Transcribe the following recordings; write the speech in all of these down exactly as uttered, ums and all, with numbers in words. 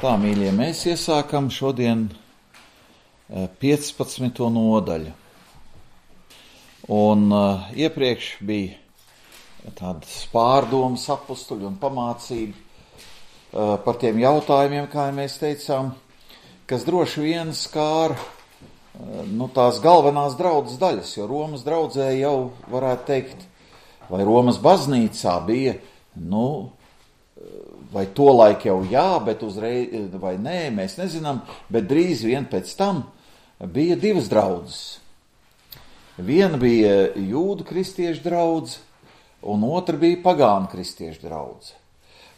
Tā, mīļie, mēs iesākam šodien piecpadsmito nodaļu. Un uh, iepriekš bija tādas pārdomas apustuļu un pamācība uh, par tiem jautājumiem, kā mēs teicām, kas droši vien skāra uh, nu, tās galvenās draudzes daļas, jo Romas draudzē jau varētu teikt, vai Romas baznīcā bija, nu, vai tolaik jau jā, bet uzreiz, vai nē, mēs nezinām, bet drīz vien pēc tam bija divas draudzes. Viena bija jūdu kristiešu draudze, un otra bija pagānu kristiešu draudze.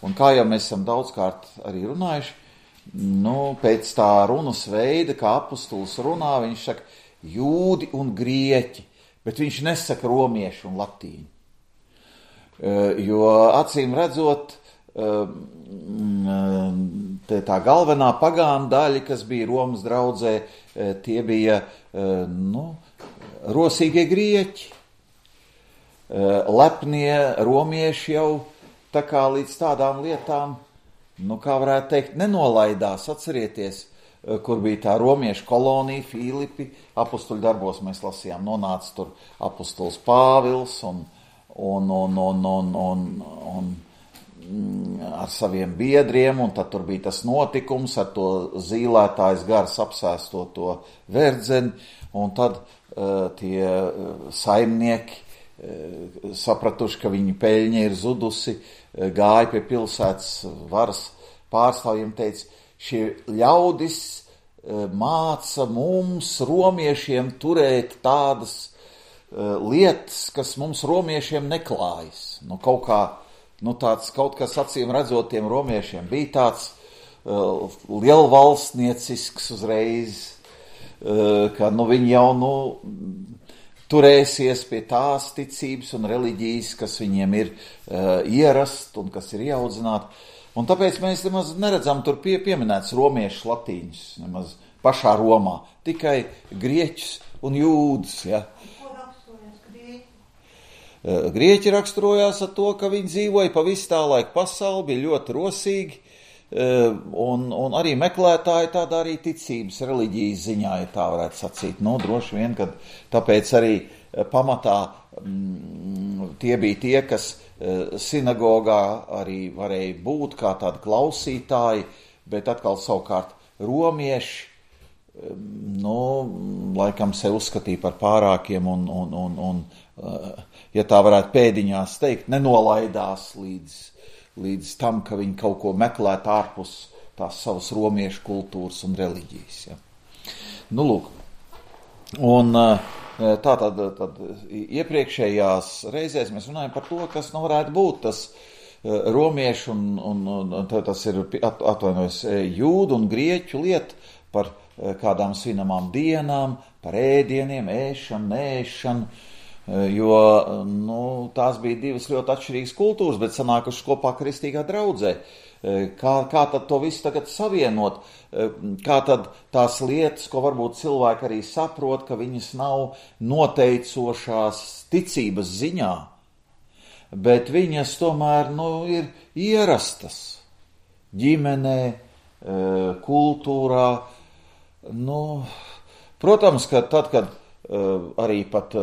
Un kā jau mēs esam daudzkārt arī runājuši, nu, pēc tā runas veida, kā apustulis runā, viņš saka jūdi un grieķi, bet viņš nesaka romieši un latīņi. Jo acīm redzot, tā galvenā pagānu daļa, kas bija Romas draudzē, tie bija, nu, rosīgie grieķi. Lepnie romieši jau tā kā līdz tādām lietām, nu, kā varētu teikt, nenolaidās. Atcerieties, kur bija tā romiešu kolonija, Filipi, apustuļu darbos mēs lasījām, nonāca tur apustulis Pāvils un, un, un, un, un, un, un ar saviem biedriem, un tad tur bija tas notikums ar to zīlētājs gars apsēsto to verdzeni, un tad uh, tie saimnieki, uh, sapratuši, ka viņu peļņa ir zudusi, uh, gāja pie pilsētas varas pārstāvjiem, teica, šie ļaudis uh, māca mums, romiešiem, turēt tādas uh, lietas, kas mums romiešiem neklājas. Nu, kaut kā Nu, tāds kaut kas acīm redzot tiem romiešiem bija tāds uh, lielvalstniecisks uzreiz, uh, ka nu, viņi jau nu, turēsies pie tās ticības un reliģijas, kas viņiem ir uh, ierast un kas ir ieaudzināti. Un tāpēc mēs nemaz neredzam tur pie, pieminēts romiešus, latīņus, nemaz pašā Romā, tikai grieķus un jūdus, ja. Grieķi raksturojās ar to, ka viņi dzīvoja pa visu tā laika pasauli, bija ļoti rosīgi, un, un arī meklētāji tādā arī ticības reliģijas ziņā, ja tā varētu sacīt. Nu, droši vien, kad tāpēc arī pamatā m, tie bija tie, kas sinagogā arī varēja būt kā tādi klausītāji, bet atkal savukārt romieši, nu, laikam sev uzskatīja par pārākiem un, un, un, un ja tā varētu pēdiņās teikt, nenolaidās līdz, līdz tam, ka viņi kaut ko meklētu ārpus tās savas romiešu kultūras un reliģijas. Ja. Nu, lūk. Un tā tad, tad iepriekšējās reizēs mēs runājam par to, kas nu varētu būt tas romiešu un, un, un tas ir atvainojas jūdu un grieķu lieta par kādām svinamām dienām, par ēdieniem, ēšanu, neēšanu, jo nu, tās bija divas ļoti atšķirīgas kultūras, bet sanākušas kopā kristīgā draudzē. Kā, kā tad to visu tagad savienot? Kā tad tās lietas, ko varbūt cilvēki arī saprot, ka viņas nav noteicošās ticības ziņā, bet viņas tomēr nu, ir ierastas ģimenē, kultūrā. Nu, protams, ka tad, kad uh, arī pat uh,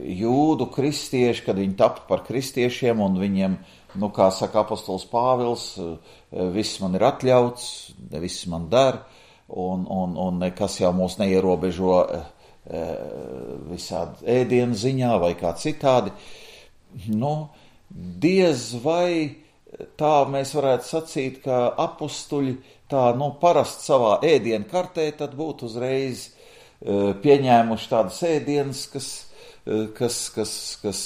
jūdu kristieši, kad viņi tapa par kristiešiem un viņiem, nu, kā saka apostols Pāvils, uh, viss man ir atļauts, viss man der, un, un, un nekas jau mūs neierobežo uh, visādi ēdienu ziņā vai kā citādi. Nu, diez vai tā mēs varētu sacīt, ka apustuļi tā, nu, parasti savā ēdienu kartē, tad būtu uzreiz uh, pieņēmuši tādas ēdienas, kas, uh, kas, kas, kas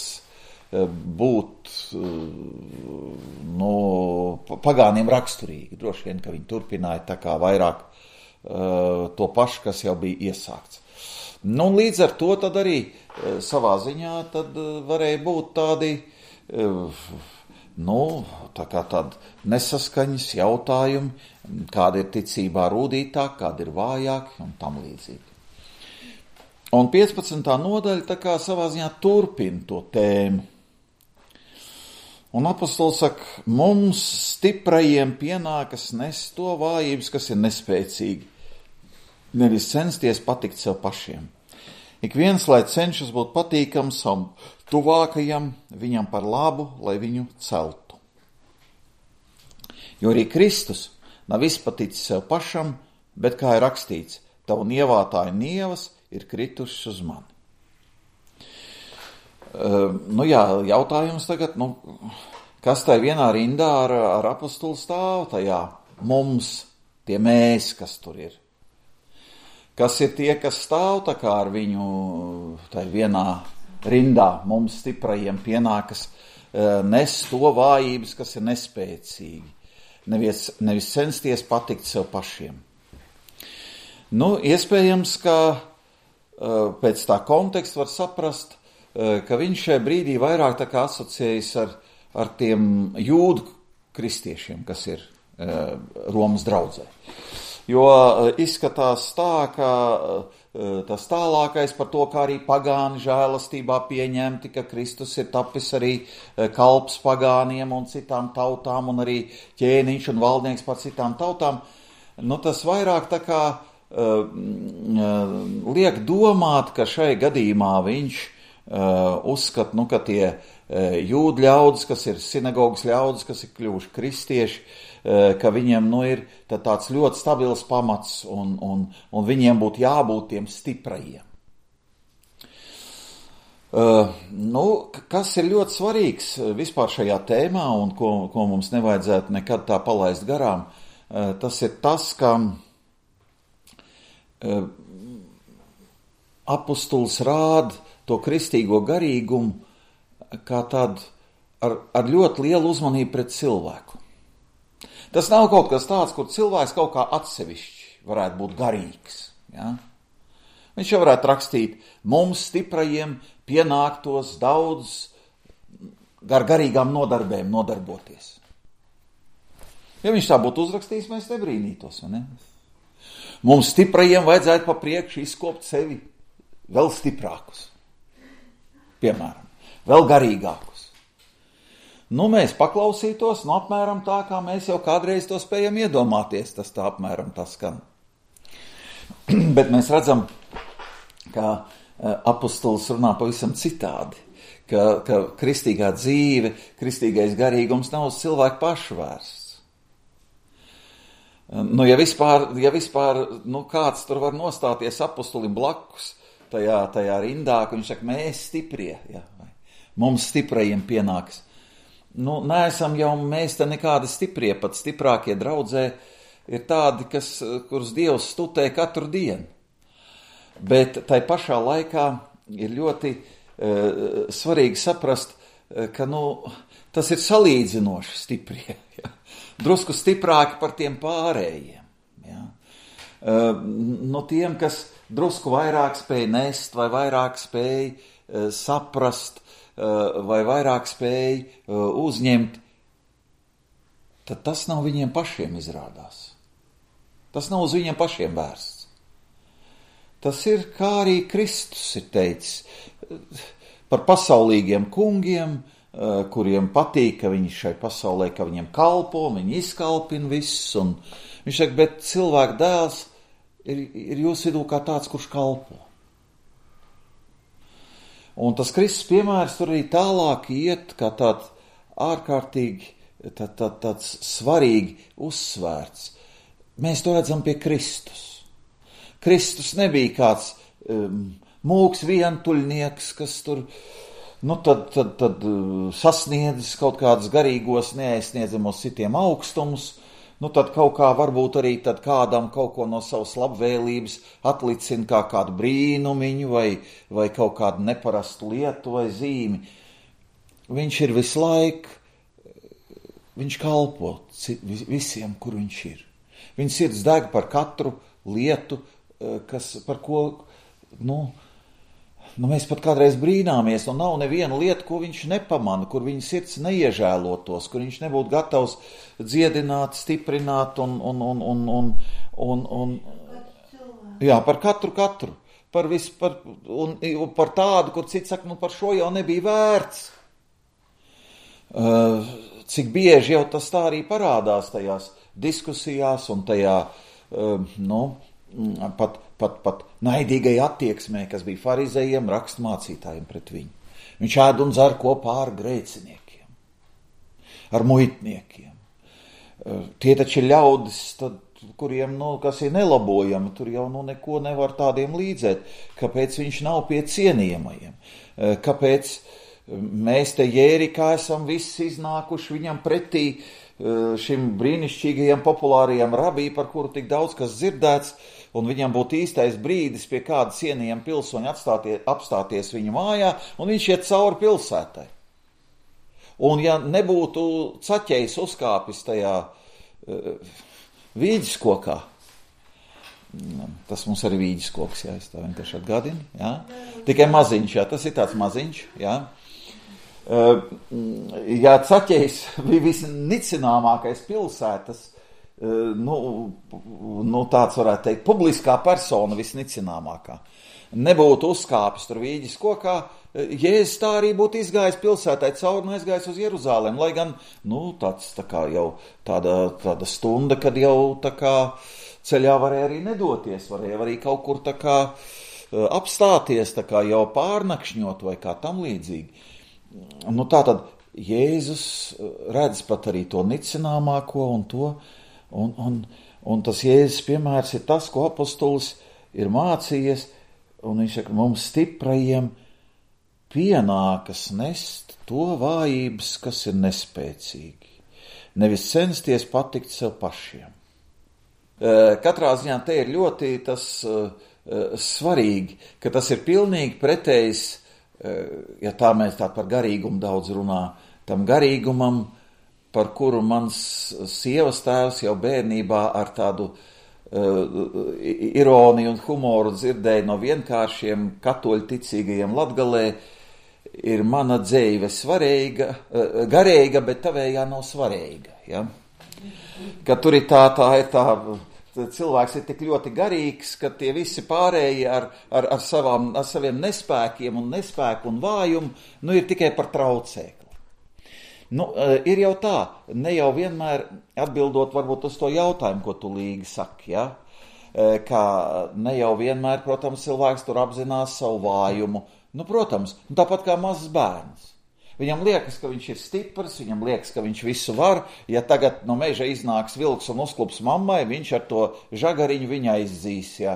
uh, būtu, uh, nu, pagāniem raksturīgi. Droši vien, ka viņi turpināja tā kā vairāk uh, to pašu, kas jau bija iesākts. Nu, un līdz ar to tad arī uh, savā ziņā tad uh, varēja būt tādi, uh, nu, tā kā tādi nesaskaņas jautājumi, kāda ir ticībā rūdītāk, kāda ir vājāk un tam līdzīgi. Un piecpadsmitā nodaļa tā kā savā ziņā turpina to tēmu. Un apostols saka, mums stiprajiem pienākas nest to vājības, kas ir nespēcīgi. Nevis censties patikt sev pašiem. Ik viens, lai cenšas būt patīkams savam tuvākajam, viņam par labu, lai viņu celtu. Jo arī Kristus nav izpaticis sev pašam, bet kā ir rakstīts, tavu nievātāju nievas ir kritušas uz mani. Uh, nu jā, jautājums tagad, nu, kas tai vienā rindā ar, ar apostulu stāv tajā mums, tie mēs, kas tur ir? Kas ir tie, kas stāv tā kā ar viņu tai vienā rindā, mums stiprajiem pienākas uh, nes to vājības, kas ir nespēcīgi, nevis, nevis censties patikt sev pašiem. Nu, iespējams, ka uh, pēc tā konteksta var saprast, ka viņš šajā brīdī vairāk tā kā asociējas ar, ar tiem jūdu kristiešiem, kas ir uh, Romas draudzē. Jo uh, izskatās tā, ka uh, tas tālākais par to, kā arī pagāni žēlastībā pieņemti, ka Kristus ir tapis arī uh, kalps pagāniem un citām tautām, un arī ķēniņš un valdnieks par citām tautām, nu tas vairāk tā kā uh, uh, liek domāt, ka šai gadījumā viņš Uh, uzskat, nu, ka tie uh, jūdu ļaudis, kas ir sinagogas ļaudis, kas ir kļuvuši kristieši, uh, ka viņiem, nu, ir tā, tāds ļoti stabils pamats un, un, un viņiem būtu jābūt tiem stiprajiem. Uh, nu, kas ir ļoti svarīgs vispār šajā tēmā un ko, ko mums nevajadzētu nekad tā palaist garām, uh, tas ir tas, ka uh, apostols rāda to kristīgo garīgumu kā tādu ar, ar ļoti lielu uzmanību pret cilvēku. Tas nav kaut kas tāds, kur cilvēks kaut kā atsevišķi varētu būt garīgs. Ja? Viņš jau varētu rakstīt, mums stiprajiem pienāktos daudz gar garīgām nodarbēm nodarboties. Ja viņš tā būtu uzrakstījis, mēs nebrīnītos. Ne? Mums stiprajiem vajadzētu pa priekšu izkopt sevi vēl stiprākus. Piemēram, vēl garīgākus. Nu, mēs paklausītos, nu, apmēram tā, kā mēs jau kādreiz to spējam iedomāties, tas tā apmēram tas skan. Bet mēs redzam, ka apostols runā pavisam citādi, ka, ka kristīgā dzīve, kristīgais garīgums nav uz cilvēku pašu vērsts. Nu, ja vispār, ja vispār nu, kāds tur var nostāties apostolim blakus, Tajā, tajā rindā, ka viņš saka, mēs stiprie, ja, mums stiprajiem pienāks. Nu, neesam jau mēs te nekādi stiprie, pat stiprākie draudzē ir tādi, kas, kurus Dievs studē katru dienu. Bet tai pašā laikā ir ļoti uh, svarīgi saprast, uh, ka nu, tas ir salīdzinoši stiprie, ja. Drusku stiprāki par tiem pārējiem. Ja. Uh, no tiem, kas drusku vairāk spēj nest, vai vairāk spēj uh, saprast, uh, vai vairāk spēj uh, uzņemt, tad tas nav viņiem pašiem izrādās. Tas nav uz viņiem pašiem vērsts. Tas ir, kā arī Kristus ir teicis, par pasaulīgiem kungiem, uh, kuriem patīk, ka viņi šai pasaulē, ka viņiem kalpo, viņi izkalpina viss, un viņš saka, bet cilvēka dēls Ir, ir jūsu vidū kā tāds, kurš kalpo. Un tas Kristus piemērs tur arī tālāk iet, kā tāds ārkārtīgi, tā, tā, tāds svarīgi uzsvērts. Mēs to redzam pie Kristus. Kristus nebija kāds um, mūks vientuļnieks, kas tur, nu tad, tad, tad uh, sasniedzis kaut kādus garīgos neaizsniedzamos citiem augstumus. Nu, tad kaut kā varbūt arī tad kādam kaut ko no savas labvēlības atlicina kā kādu brīnumiņu vai, vai kaut kādu neparastu lietu vai zīmi. Viņš ir visu laiku, viņš kalpo visiem, kur viņš ir. Viņš sirds deg par katru lietu, kas, par ko, nu, nu, mēs pat kādreiz brīnāmies, un nav neviena lieta, ko viņš nepamana, kur viņa sirds neiežēlotos, kur viņš nebūtu gatavs dziedināt, stiprināt un, un, un, un, un, un, un jā, par katru katru, par visu, par, un, un par tādu, kur cits saka, nu par šo jau nebija vērts. Cik bieži jau tas tā arī parādās tajās diskusijās un tajā, nu, pat, pat, pat naidīgai attieksmē, kas bija farizējiem, rakstmācītājiem pret viņu. Viņš ēd un dzer kopā ar grēciniekiem, ar muitniekiem. Tie taču ir ļaudis, tad, kuriem, nu, kas ir nelabojami, tur jau nu, neko nevar tādiem līdzēt. Kāpēc viņš nav pie cienījamajiem? Kāpēc mēs te Jērikā esam visi iznākuši viņam pretī, šim brīnišķīgajam populārajam rabī, par kuru tik daudz kas dzirdēts, un viņam būtu īstais brīdis pie kāda cienījama pilsoņa atstāties, apstāties viņa mājā, un viņš iet cauri pilsētai. Un ja nebūtu caķējs uzkāpis tajā uh, vīģiskokā, tas mums arī vīģiskoks, jā, es tā vienkārši atgādinu, jā, tikai maziņš, jā, tas ir tāds maziņš, jā. Uh, ja caķējs bija visnicināmākais pilsētas, uh, nu, nu tāds varētu teikt, publiskā persona visnicināmākā, nebūtu uzkāpis tur vīģis kokā, Jēzus tā arī būtu izgājis pilsētai cauri un aizgājis uz Jeruzālēm, lai gan, nu, tāds tā kā jau tāda, tāda stunda, kad jau tā kā ceļā varēja arī nedoties, varēja arī kaut kur tā kā apstāties, tā kā jau pārnakšņot vai kā tam līdzīgi. Nu, tā tad Jēzus redz pat arī to nicināmāko un to, un, un, un tas Jēzus piemērs ir tas, ko apostolis ir mācījies, un viņš saka, mums stiprajiem pienākas nest to vājības, kas ir nespēcīgi. Nevis censties patikt sev pašiem. Katrā ziņā te ir ļoti tas svarīgi, ka tas ir pilnīgi pretējs, ja tā mēs tā par garīgumu daudz runā, tam garīgumam, par kuru mans sievas tēvs jau bērnībā ar tādu uh, ironiju un humoru dzirdēja no vienkāršiem katoļu ticīgajiem Latgalē, ir mana dzeive svarīga, garīga, bet tavējā nav svarīga. Ja? Ka tur ir tā, tā ir tā, cilvēks ir tik ļoti garīgs, ka tie visi pārējie ar, ar, ar, savām, ar saviem nespēkiem un nespēku un vājumu, nu ir tikai par traucēkli. Nu, ir jau tā, ne jau vienmēr atbildot varbūt uz to jautājumu, ko tu Līga saki, ja? Ka ne jau vienmēr, protams, cilvēks tur apzinās savu vājumu. Nu, protams, tāpat kā mazs bērns. Viņam liekas, ka viņš ir stiprs, viņam liekas, ka viņš visu var. Ja tagad no meža iznāks vilks un uzklups mammai, viņš ar to žagariņu viņa aizdzīs. Jā,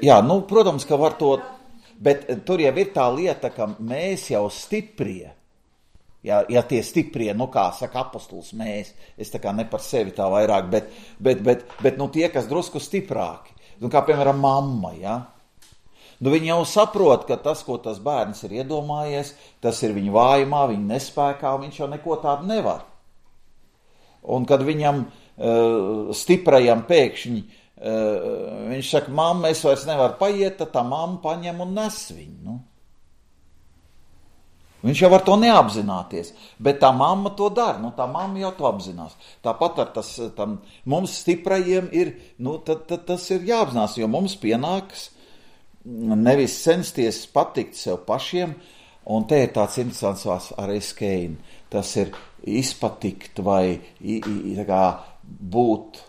jā, nu, protams, ka var to, bet tur jau ir tā lieta, ka mēs jau stiprie, ja, ja tie stiprie, nu kā saka apostols mēs, es tā kā ne par sevi tā vairāk, bet, bet, bet, bet nu tie, kas drusku stiprāki. Nu, kā, piemēram, mamma, ja? Nu, viņa jau saprot, ka tas, ko tas bērns ir iedomājies, tas ir viņa vājumā, viņa nespēkā, un viņš jau neko tādu nevar. Un kad viņam uh, stiprajam pēkšņi, uh, viņš saka, mamma, es vairs nevaru paiet, tad tā mamma paņem un nes viņu, nu. Viņš jau var to neapzināties, bet tā mamma to dara, nu tā mamma jau to apzinās. Tāpat ar tas, tam, mums stiprajiem ir, nu tad, tad tas ir jāapzinās, jo mums pienāks nevis censties patikt sev pašiem, un te ir tāds interesants vārds ar eskein, tas ir izpatikt vai i, i, tā kā būt.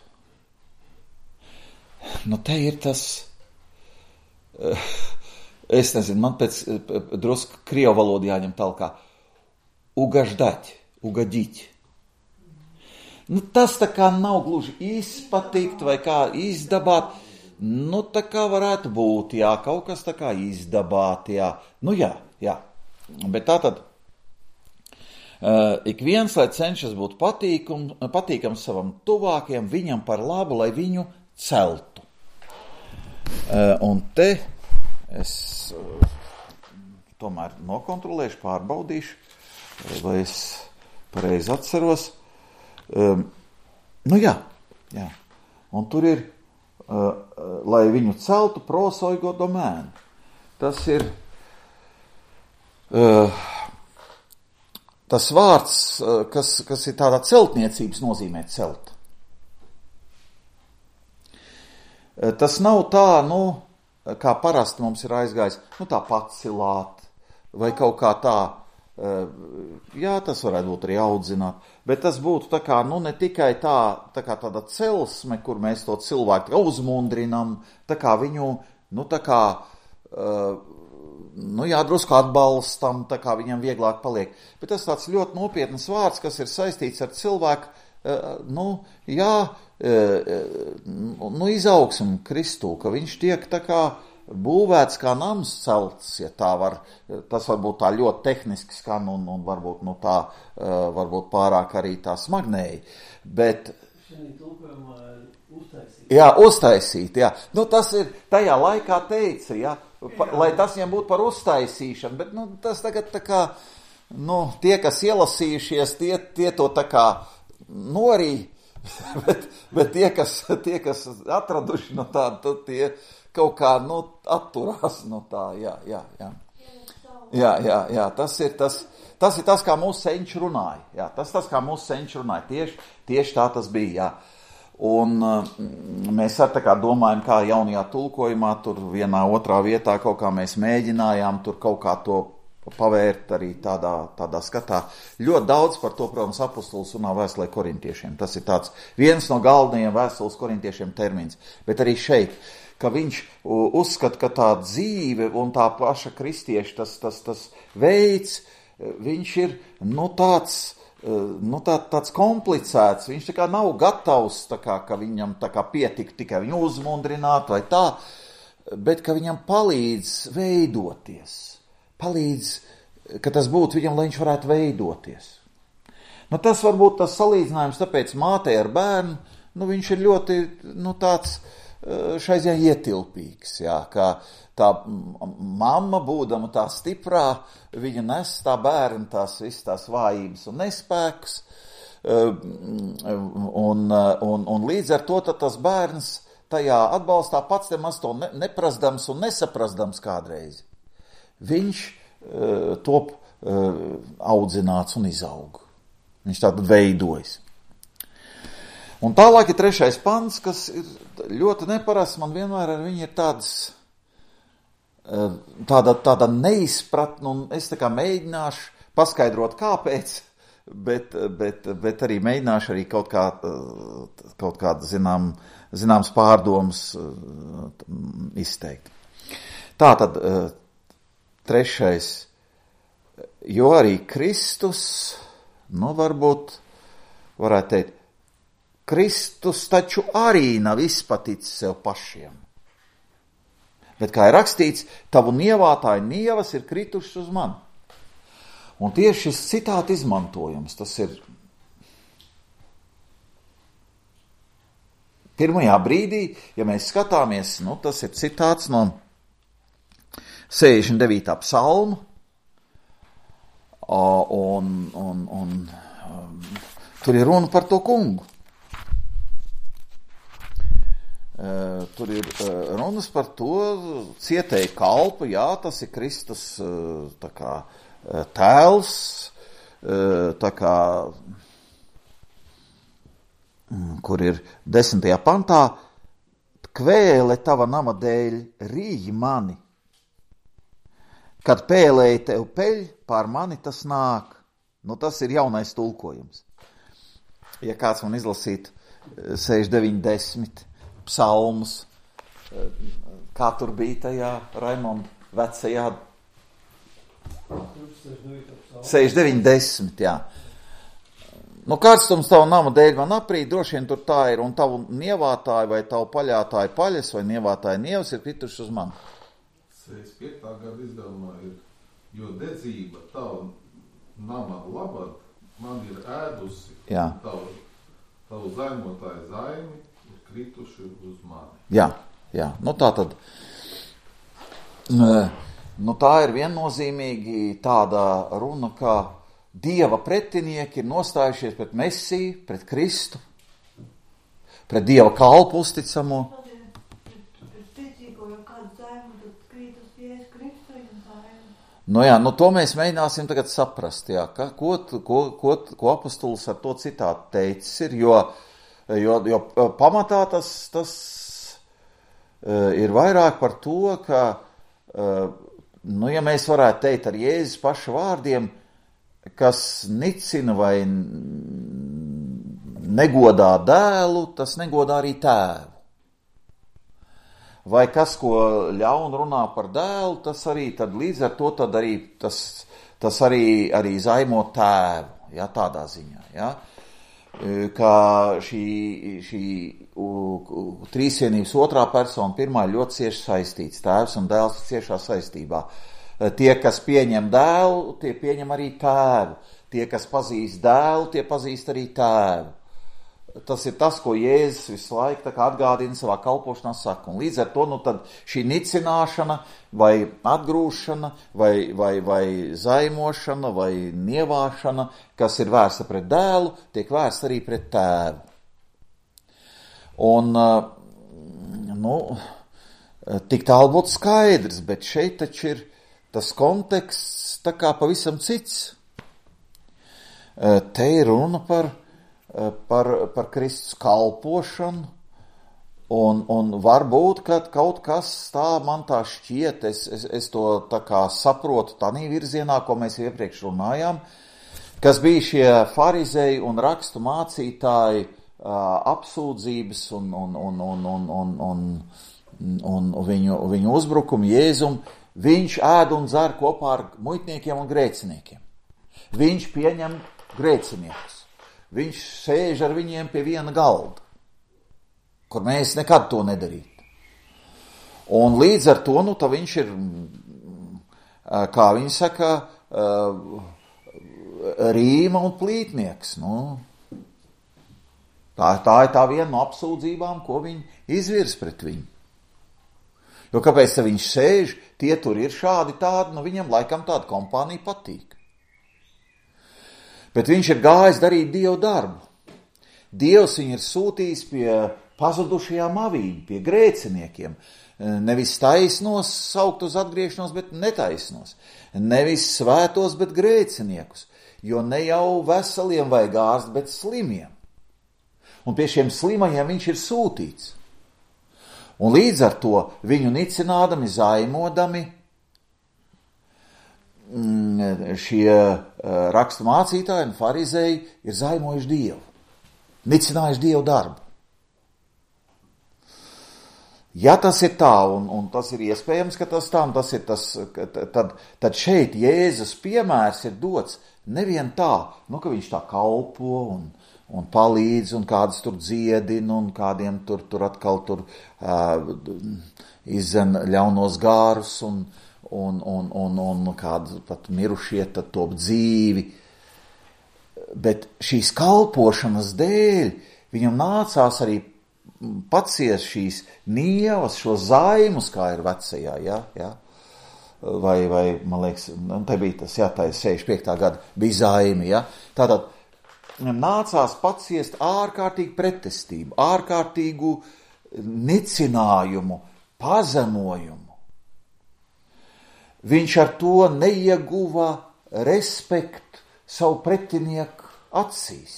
Nu te ir tas... Uh, Es nezinu, man pēc drusku krievu valodu jāņem talkā. Ugaždать, ugadīt. Nu, tas tā kā nav gluži izpatikt vai kā izdabāt. Nu, tā kā varētu būt, jā, kaut kas tā kā izdabāt, jā. Nu, jā, jā. Bet tā tad, uh, ik viens, lai cenšas būt patīkam, patīkams savam tuvākiem, viņam par labu, lai viņu celtu. Uh, un te... Es uh, tomēr nokontrolēšu, pārbaudīšu, vai es pareizi atceros. Um, nu jā, jā. Un tur ir, uh, lai viņu celtu prosoigo domēnu. Tas ir uh, tas vārds, uh, kas, kas ir tādā celtniecības nozīmē celt. Tas nav tā, nu, kā parasti mums ir aizgājis, nu tā pacilāt, vai kaut kā tā, jā, tas varētu būt arī audzināt, bet tas būtu tā kā, nu, ne tikai tā, tā kā tāda celsme, kur mēs to cilvēku uzmundrinam, tā kā viņu, nu, tā kā, nu, jā, drusku atbalstam, tā kā viņam vieglāk paliek. Bet tas tāds ļoti nopietnas vārds, kas ir saistīts ar cilvēku, nu, jā, nu, izaugsmu Kristū, ka viņš tiek tā kā būvēts kā nams celts, ja tā var, tas varbūt tā ļoti tehniski skan un, un varbūt, nu, tā, varbūt pārāk arī tā smagnēji, bet... Jā, uztaisīt, jā. Nu, tas ir, tajā laikā teica, jā, pa, lai tas viņam būtu par uztaisīšanu, bet, nu, tas tagad tā kā, nu, tie, kas ielasījušies, tie, tie to tā kā norī, bet, bet tie, kas, tie, kas atraduši no tā, tad tie kaut kā, nu, atturās no tā, jā, jā, jā. Jā, jā, jā, tas ir tas, tas ir tas, kā mūsu senči runāja, jā, tas tas, kā mūsu senči runāja, tieši, tieši tā tas bija, jā. Un uh, mēs ar tā kā domājam, kā jaunajā tulkojumā, tur vienā otrā vietā kaut kā mēs mēģinājām tur kaut kā to pavērt arī tādā, tādā skatā. Ļoti daudz par to, protams, apostols runā vēstulē korintiešiem. Tas ir tāds viens no galvenajiem vēstules korintiešiem termins, bet arī šeit, ka viņš uzskata, ka tā dzīve un tā paša kristieša tas, tas, tas veids, viņš ir, nu, tāds, nu, tā, tāds komplicēts, viņš tā kā nav gatavs, tā kā, ka viņam tā kā pietik tikai viņu uzmundrināt vai tā, bet ka viņam palīdz veidoties, palīdz, ka tas būtu viņam, lai viņš varētu veidoties. Nu, tas varbūt tas salīdzinājums, tāpēc mātei ar bērnu, nu, viņš ir ļoti, nu, tāds, šai ziņā ietilpīgs, jā, kā tā mamma, būdama tā stiprā, viņa nes tā bērnu tās visas tās vājības un nespēkus, un, un, un līdz ar to tad tas bērns tajā atbalstā pats nemaz to ne, neprasdams un nesaprasdams kādreiz. Viņš uh, top uh, audzināts un izaug. Viņš tātad veidojas. Un tālāk ir trešais pants, kas ir ļoti neparasts, man vienmēr ar viņu ir tāds, tāda, tāda neizpratne, un es tā kā mēģināšu paskaidrot kāpēc, bet, bet, bet arī mēģināšu arī kaut kā, kaut kāda zinām, zināms pārdomas izteikt. Tātad trešais, jo arī Kristus, nu varbūt varētu teikt, Kristus taču arī nav izpaticis sev pašiem. Bet, kā ir rakstīts, tavu nievātāju nievas ir kritušas uz mani. Un tieši šis citāta izmantojums, tas ir pirmajā brīdī, ja mēs skatāmies, nu, tas ir citāts no sešdesmit devītā psalma, un, un, un um, tur ir runa par to kungu. Uh, tur ir uh, runas par to cietēju kalpu, jā, tas ir Kristus uh, tā kā uh, tēls, uh, tā kā, um, kur ir desmitajā pantā, kvēle tava nama dēļ rīj mani, kad pēlēji tev peļ, pār mani tas nāk. Nu, tas ir jaunais tulkojums. Ja kāds man izlasīt sešdesmit deviņi desmit psalmus, kā tur bija tajā Raimonda vecajā sešdesmit deviņi desmit, jā. Nu, karstums tavu nama dēļ man aprīt, droši vien tur tā ir, un tavu nievātāju vai tavu paļātāju paļas vai nievātāju nievas ir krituši uz mani. sešdesmit piekta gada izdevumā ir, jo dedzība tavu nama labad man ir ēdusi, tavu, tavu zaimotāju zaimi krituši uz mani. Jā, jā, nu tā tad, nu tā ir viennozīmīgi tāda runa, kā Dieva pretinieki ir nostājušies pret Mesiju, pret Kristu, pret Dieva kalpu uzticamo. Nu jā, nu to mēs mēģināsim tagad saprast, jā, ka, ko, ko, ko, ko apostols ar to citātu teicis ir, jo Jo, jo pamatā tas, tas uh, ir vairāk par to, ka uh, nu, ja mēs varētu teikt ar Jēzus paša vārdiem, kas nicina vai negodā dēlu, tas negodā arī tēvu. Vai kas, ko ļaun runā par dēlu, tas arī tad līdz ar to tad arī, tas, tas arī, arī zaimo tēvu, ja, tādā ziņā, ja. Kā šī, šī uh, trīsvienības otrā persona pirmā ļoti cieši saistīts, tēvs un dēls ciešā saistībā. Tie, kas pieņem dēlu, tie pieņem arī tēvu. Tie, kas pazīst dēlu, tie pazīst arī tēvu. Tas ir tas, ko Jēzus visu laiku tā kā atgādina savā kalpošanā saka. Un līdz ar to, nu tad šī nicināšana vai atgrūšana vai, vai, vai zaimošana vai nievāšana, kas ir vērsta pret dēlu, tiek vērsta arī pret tēvu. Un, nu, tik tālu būtu skaidrs, bet šeit taču ir tas konteksts tā kā pavisam cits. Te ir runa par Par, par Kristus kalpošanu, un, un varbūt, ka kaut kas tā man tā šķiet, es, es, es to tā kā saprotu tādā virzienā, ko mēs iepriekš runājām, kas bija šie farizēji un rakstu mācītāji uh, apsūdzības un, un, un, un, un, un, un, un viņu, viņu uzbrukumu Jēzum, viņš ēd un dzer kopā ar muitniekiem un grēciniekiem. Viņš pieņem grēciniekus. Viņš sēž ar viņiem pie viena galda, kur mēs nekad to nedarītu. Un līdz ar to, nu, tā viņš ir, kā viņi saka, rīma un plītnieks. Nu, tā, tā ir tā viena no apsūdzībām, ko viņi izvirs pret viņu. Jo kāpēc tā viņš sēž, tie tur ir šādi tādi, nu viņam laikam tāda kompānija patīk. Bet viņš ir gājis darīt Dievu darbu. Dievs viņu ir sūtījis pie pazudušajām avīm, pie grēciniekiem. Nevis taisnos saukt uz atgriešanos, bet netaisnos. Nevis svētos, bet grēciniekus. Jo ne jau veseliem vajag ārst, bet slimiem. Un pie šiem slimajiem viņš ir sūtīts. Un līdz ar to viņu nicinādami, zaimodami, šie rakstu mācītāji un farizēji ir zaimojuši Dievu, nicinājuši Dievu darbu. Ja tas ir tā, un, un tas ir iespējams, ka tas tā, un tas ir tas, tad, tad šeit Jēzus piemērs ir dots nevien tā, nu, ka viņš tā kalpo un, un palīdz, un kādas tur dziedina, un kādiem tur, tur atkal tur uh, izdzen ļaunos gārus, un Un, un, un, un kādi pat mirušie tad top dzīvi. Bet šīs kalpošanas dēļ viņam nācās arī paciest šīs nievas, šo zaimus, kā ir vecajā, ja, ja? Vai, vai, man liekas, te bija tas, jā, tā ir sešdesmit piektā gada, bija zaimi, ja? Tātad viņam nācās paciest ārkārtīgu pretestību, ārkārtīgu nicinājumu, pazemojumu. Viņš ar to neieguva respektu savu pretinieku acīs.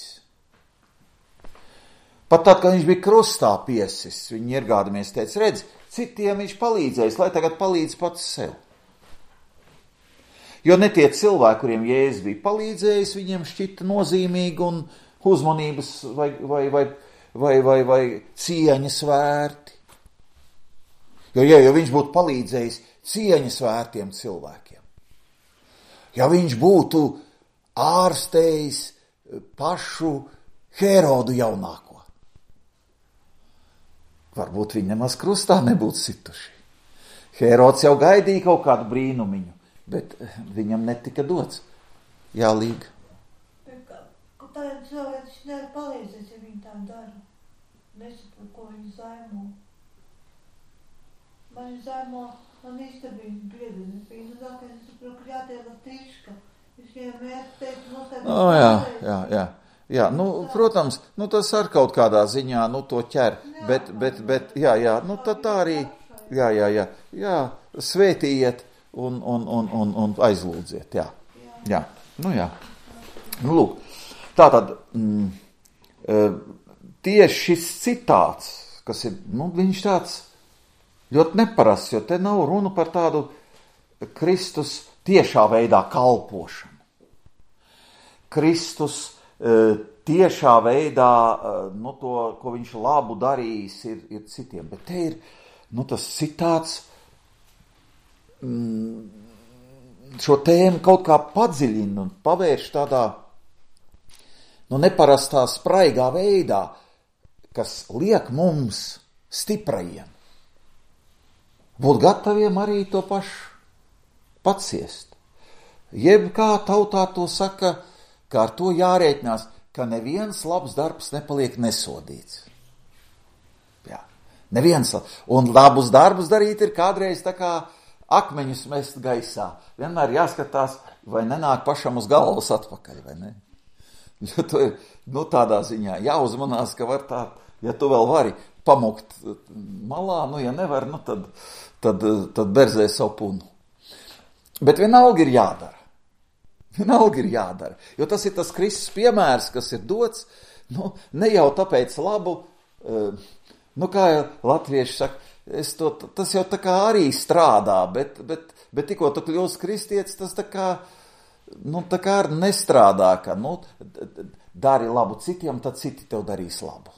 Pat tad, kad viņš bija krustā piesis, viņi iegādamies teica, redz, citiem viņš palīdzējis, lai tagad palīdz pats sev. Jo ne tie cilvēki, kuriem Jēzus bija palīdzējis, viņiem šķita nozīmīgi un uzmanības vai, vai, vai, vai, vai, vai cieņas vērti. Jo, ja, ja viņš būtu palīdzējis cieņas vērtiem cilvēkiem. Ja viņš būtu ārstējis pašu Herodu jaunāko, varbūt viņi nemaz krustā nebūtu situši. Herods jau gaidīja kaut kādu brīnumiņu, bet viņam netika dots. Jā, Līga. Tā ir cilvēks, viņš nevar palīdzēt, ja viņi tā dara. Nesaprot, ko viņi zaimo. Man zaimo Man īstenībā biedri, es biju nezākais, es saprotu, ka jātiek latīška. Viņš viņam mērķi teikt, nostāpīt. O, jā, jā, jā. Jā, nu, protams, nu, tas ar kaut kādā ziņā, nu, to ķer, bet, bet, bet, jā, jā, nu, tad tā arī, jā, jā, jā, jā, svētījiet un, un, un, un, un aizlūdziet, jā, jā, nu, jā. Nu, lūk, tātad, mm, tieši šis citāts, kas ir, nu, viņš tāds ļoti neparasts, jo te nav runa par tādu Kristus tiešā veidā kalpošana. Kristus tiešā veidā, nu, to, ko viņš labu darījis, ir, ir citiem. Bet te ir, nu, tas citāts mm, šo tēmu kaut kā padziļina un pavērš tādā, nu, neparastā spraigā veidā, kas liek mums stiprajiem būt gataviem arī to pašu paciest. Jeb kā tautā to saka, ka ar to jārēķinās, ka neviens labs darbs nepaliek nesodīts. Jā, neviens. Un labus darbus darīt ir kādreiz tā kā akmeņus mest gaisā. Vienmēr jāskatās, vai nenāk pašam uz galvas atpakaļ, vai ne? Jo to ir, nu, tādā ziņā jāuzmanās, ka var tā, ja tu vēl vari pamukt malā, nu, ja nevar, nu, tad, tad, tad berzē savu punu. Bet vienalga ir jādara. Vienalga ir jādara, jo tas ir tas Kristus piemērs, kas ir dots, nu, ne jau tāpēc labu, nu, kā latvieši saka, es to, tas jau tā kā arī strādā, bet, bet, bet tikko tu kļūsi kristietis, tas tā kā, nu, tā kā arī nestrādā, ka, nu, dari labu citiem, tad citi tev darīs labu.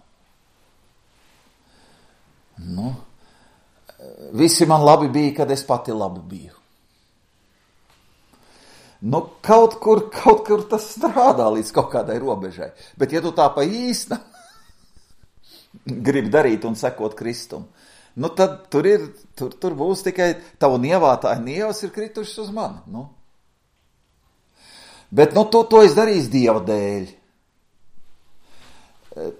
Nu, visi man labi bija, kad es pati labi biju. Nu, kaut kur, kaut kur tas strādā līdz kaut kādai robežai. Bet ja tu tā pa īsta gribi darīt un sekot Kristum, nu tad tur ir, tur, tur būs tikai tavu nievātāji nievas ir kritušas uz mani. Nu. Bet, nu, to, to es darīšu Dieva dēļ.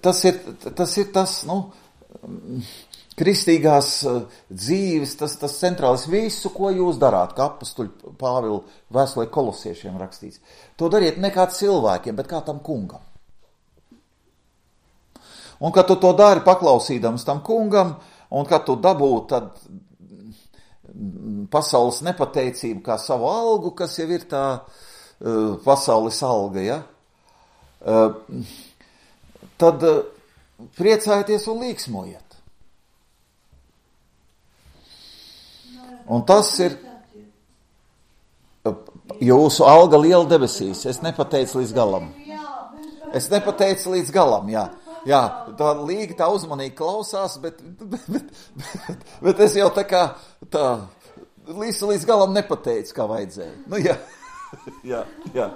Tas ir tas, ir tas nu, kristīgās dzīves, tas, tas centrālis visu, ko jūs darāt, kā apustuļu Pāvila vēstulē kolosiešiem rakstīts. To dariet ne kā cilvēkiem, bet kā tam kungam. Un, kad tu to dari paklausīdams tam kungam, un kad tu dabū tad pasaules nepateicību kā savu algu, kas jau ir tā uh, pasaules alga, ja? Uh, tad uh, priecājieties un līksmojiet. Un tas ir jūsu alga liela debesīs. Es nepateicu līdz galam. Es nepateicu līdz galam, jā. Jā, tā līga tā uzmanīgi klausās, bet, bet, bet, bet, bet es jau tā kā tā līdz, līdz galam nepateicu, kā vajadzēja. Nu, jā, jā, jā,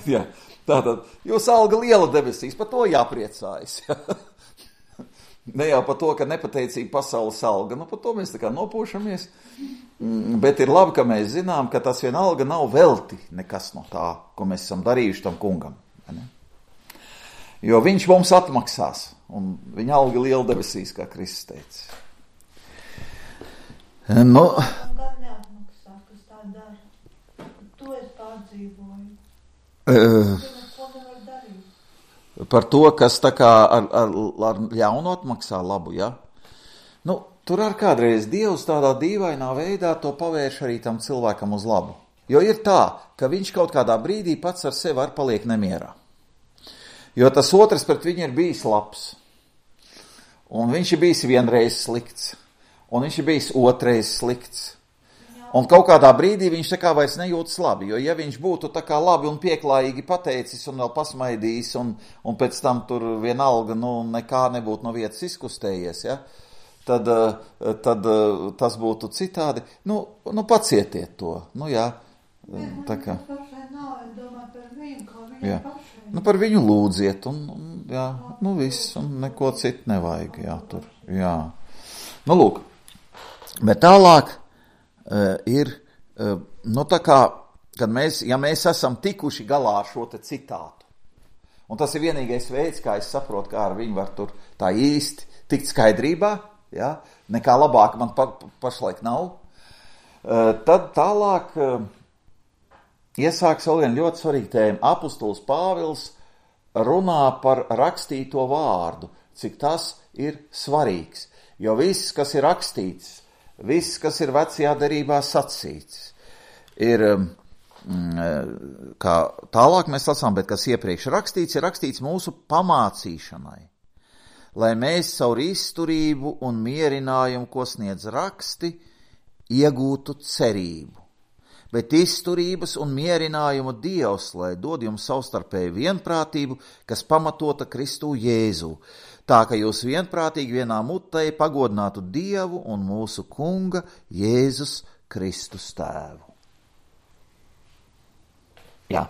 jā. Tātad, jūsu alga liela debesīs, par to jāpriecājas, jā. Ne jau par to, ka nepateicīga pasaules alga, nu par to mēs tā kā nopūšamies, bet ir labi, ka mēs zinām, ka tas vienalga nav velti nekas no tā, ko mēs esam darījuši tam kungam. Ne? Jo viņš mums atmaksās, un viņa alga liela debesīs, kā Kristus teica. Nu, gan neatmaksā, kas tā dara. To es pārdzīvoju. Uh, Par to, kas tā kā ar, ar, ar ļaunu atmaksā labu, ja? Nu, tur ar kādreiz Dievs tādā dīvainā veidā to pavērš arī tam cilvēkam uz labu. Jo ir tā, ka viņš kaut kādā brīdī pats ar sevi ar paliek nemierā. Jo tas otrs pret viņu ir bijis labs. Un viņš ir bijis vienreiz slikts. Un viņš ir bijis otrais slikts. Un kaut kādā brīdī viņš tā kā vairs nejūtas labi, jo ja viņš būtu tā kā labi un pieklājīgi pateicis un vēl pasmaidījis un, un pēc tam tur vienalga, nu, nekā nebūtu no vietas izkustējies, ja, tad, tad tas būtu citādi. Nu, nu pacietiet to, nu jā, tā kā. Jā. Nu par viņu lūdziet un, un jā, nu viss, un neko citu nevajag, jā, tur, jā. Nu lūk, bet tālāk. Uh, ir, uh, nu tā kā, kad mēs, ja mēs esam tikuši galā ar šo te citātu, un tas ir vienīgais veids, kā es saprotu, kā ar viņu var tur tā īsti tikt skaidrībā, ja? Nekā labāk man pa, pašlaik nav, uh, tad tālāk uh, iesāks vēl viena ļoti svarīga tēma. Apustulis Pāvils runā par rakstīto vārdu, cik tas ir svarīgs, jo viss, kas ir rakstīts, viss, kas ir vecajā derībā sacīts, ir, kā tālāk mēs lasām, bet kas iepriekš rakstīts, ir rakstīts mūsu pamācīšanai, lai mēs caur izturību un mierinājumu, ko sniedz raksti, iegūtu cerību. bet izturības un mierinājuma Dievs, lai dod jums savstarpēju vienprātību, kas pamatota Kristū Jēzū, tā ka jūs vienprātīgi vienā mutē pagodinātu Dievu un mūsu Kunga Jēzus Kristus tēvu. Jā.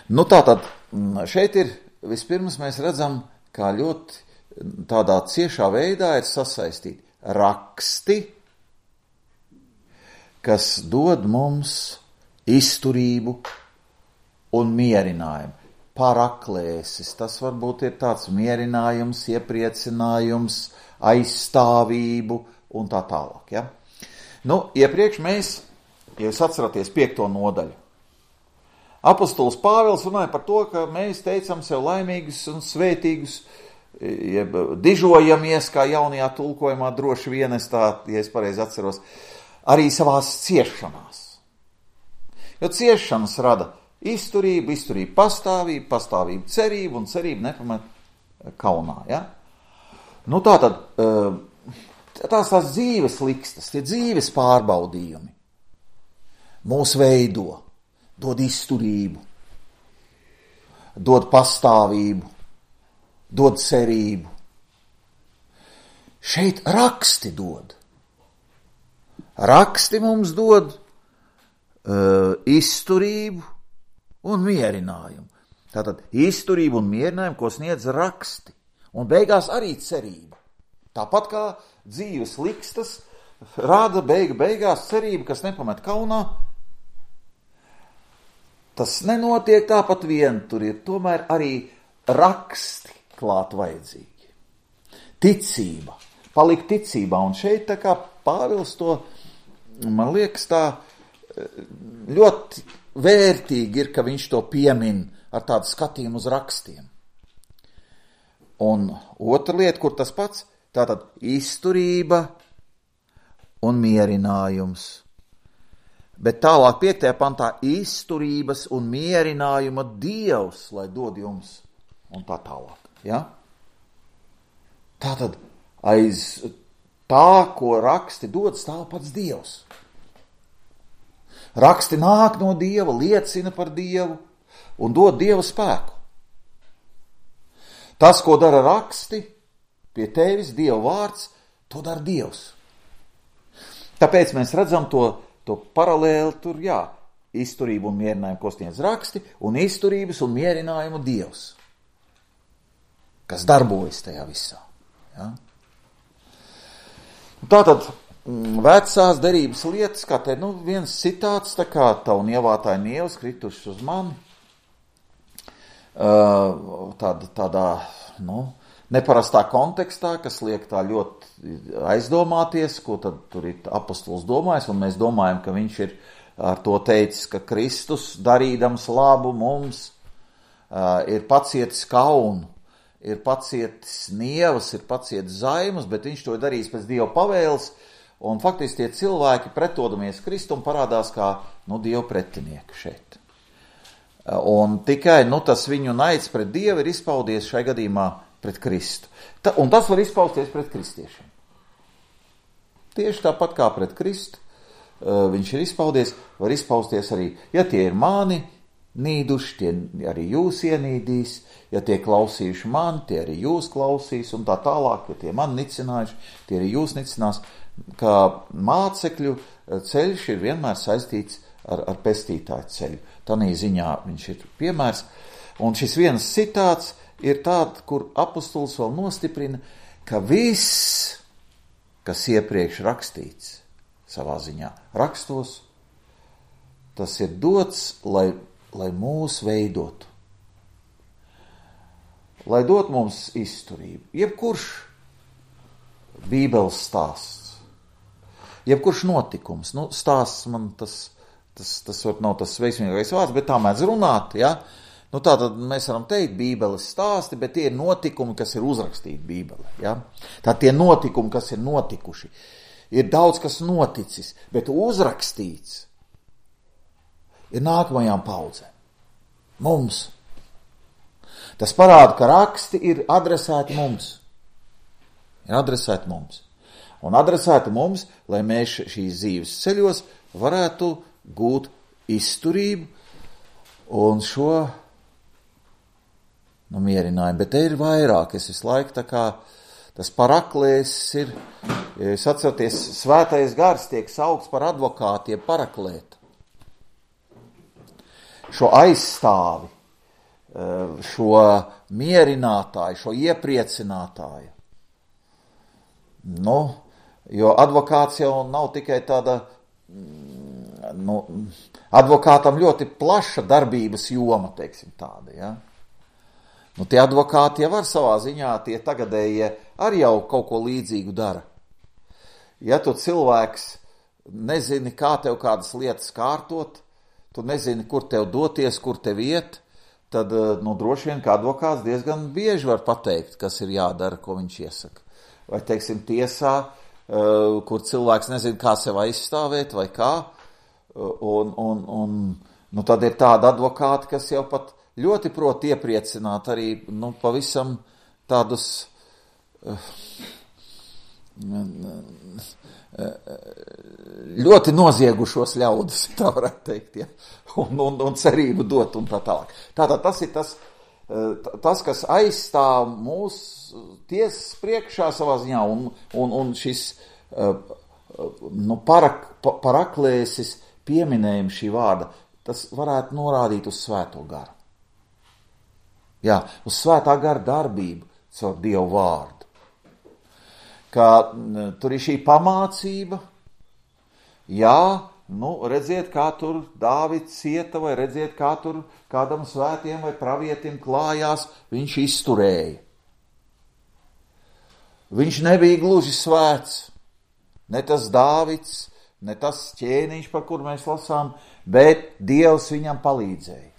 Nu tātad, šeit ir, vispirms mēs redzam, kā ļoti tādā ciešā veidā ir sasaistīti raksti, kas dod mums izturību un mierinājumu. Paraklēsis, tas varbūt ir tāds mierinājums, iepriecinājums, aizstāvību un tā tālāk. Ja? Nu, iepriekš mēs, ja jūs atceraties piekto nodaļu, apostols Pāvils runāja par to, ka mēs teicam sev laimīgus un svētīgus, jeb dižojamies, kā jaunajā tulkojumā droši vien es tā, ja es pareizi atceros, arī savās ciešanās. Jo ciešanas rada izturību, izturību pastāvību, pastāvību cerību un cerību nepamet kaunā. Ja? Nu tā tad, tās tās dzīves likstas, tie dzīves pārbaudījumi mūs veido, dod izturību, dod pastāvību, dod cerību. Šeit raksti dod. Raksti mums dod uh, izturību un mierinājumu. Tātad izturību un mierinājumu, ko sniedz raksti. Un beigās arī cerība. Tāpat kā dzīves likstas rāda beigu beigās cerība, kas nepamet kaunā. Tas nenotiek tāpat vien, tur ir tomēr arī raksti klāt vajadzīgi. Ticība, palikt ticībā, un šeit tā kā Pāvils to, man liekas, tā ļoti vērtīgi ir, ka viņš to piemin ar tādu skatījumu uz rakstiem. Un otra lieta, kur tas pats, tātad izturība un mierinājums. Bet tālāk piektajā pantā izturības un mierinājuma Dievs, lai dod jums, un tā tālāk. Ja? Tātad aiz tā, ko raksti dod, stāv pats Dievs. Raksti nāk no Dieva, liecina par Dievu un dod Dieva spēku. Tas, ko dara raksti, pie tevis, Dieva vārds, to dara Dievs. Tāpēc mēs redzam to, to paralēli tur, jā, izturību un mierinājumu, ko sniedz raksti, un izturības un mierinājumu Dievs, kas darbojas tajā visā. Ja? Tātad vecās derības lietas, kā te, nu, viens citāts, tā kā tavu nievātāji nievas krituši uz mani, tāda, tādā, nu, neparastā kontekstā, kas liek tā ļoti aizdomāties, ko tad tur ir apostols domājis, un mēs domājam, ka viņš ir ar to teicis, ka Kristus, darīdams labu mums, ir pacietis kaunu, ir pacietis nievas, ir pacietis zaimas, bet viņš to ir darījis pēc Dieva pavēles, un faktiski tie cilvēki pretodamies Kristum parādās kā, nu, Dieva pretinieki šeit. Un tikai, nu, tas viņu naids pret Dievu ir izpaudies šai gadījumā pret Kristu. Ta, un tas var izpausties pret kristiešiem. Tieši tāpat kā pret Kristu uh, viņš ir izpaudies, var izpausties arī, ja tie ir mani nīduši, tie arī jūs ienīdīs, ja tie klausījuši mani, tie arī jūs klausīs, un tā tālāk, ja tie mani nicinājuši, tie arī jūs nicinās, kā mācekļu ceļš ir vienmēr saistīts ar, ar pestītāju ceļu. Tanī ziņā viņš ir piemērs, un šis viens citāts ir tāds, kur apostols vēl nostiprina, ka viss, kas iepriekš rakstīts savā ziņā rakstos, tas ir dots, lai, lai mūs veidotu. Lai dot mums izturību. Jebkurš Bībeles stāsts, jebkurš notikums, nu, stāsts man tas, tas, tas var nav tas veiksmīgais vārds, bet tā mēdz runāt, ja? Nu, tā tad mēs varam teikt Bībeles stāsti, bet tie ir notikumi, kas ir uzrakstīti Bībelē, ja? Tā tie notikumi, kas ir notikuši. Ir daudz, kas noticis, bet uzrakstīts ir nākamajām paudzēm. Mums. Tas parāda, ka raksti ir adresēti mums. Ir adresēti mums. Un adresēti mums, lai mēs šīs dzīves ceļos varētu gūt izturību un šo nu, mierinājumu. Bet te ir vairāk, es visu laiku tā kā tas paraklēs ir, ja jūs atceraties, svētais gars tiek saukts par advokātiem paraklētu. Šo aizstāvi, šo mierinātāju, šo iepriecinātāju. Nu, jo advokāts jau nav tikai tāda, nu, advokātam ļoti plaša darbības joma, teiksim tāda, ja. Nu, tie advokāti jau var savā ziņā, tie tagadējie arī jau kaut ko līdzīgu dara. Ja tu cilvēks nezini, kā tev kādas lietas kārtot, tu nezini, kur tev doties, kur tev iet, tad, nu, droši vien, ka advokāts diezgan bieži var pateikt, kas ir jādara, ko viņš iesaka. Vai, teiksim, tiesā, kur cilvēks nezina, kā sev aizstāvēt vai kā, un, un, un nu, tad ir tāda advokāti, kas jau pat ļoti prot iepriecināt arī, nu, pavisam tādus ļoti noziegušos ļaudis, tā varētu teikt, ja, un, un, un cerību dot un tā tālāk. Tātad tas ir tas, tas, kas aizstāv mūs tiesas priekšā savā ziņā, un, un, un šis nu, parak, paraklēsis pieminējums šī vārda, tas varētu norādīt uz svēto garu. Jā, uz svētā gara darbību caur Dievu vārdu. Ka tur ir šī pamācība, jā, nu, redziet, kā tur Dāvids cieta, vai redziet, kā tur kādam svētiem vai pravietim klājās, viņš izturēja. Viņš nebija gluži svēts, ne tas Dāvids, ne tas ķēniņš, par kur mēs lasām, bet Dievs viņam palīdzēja.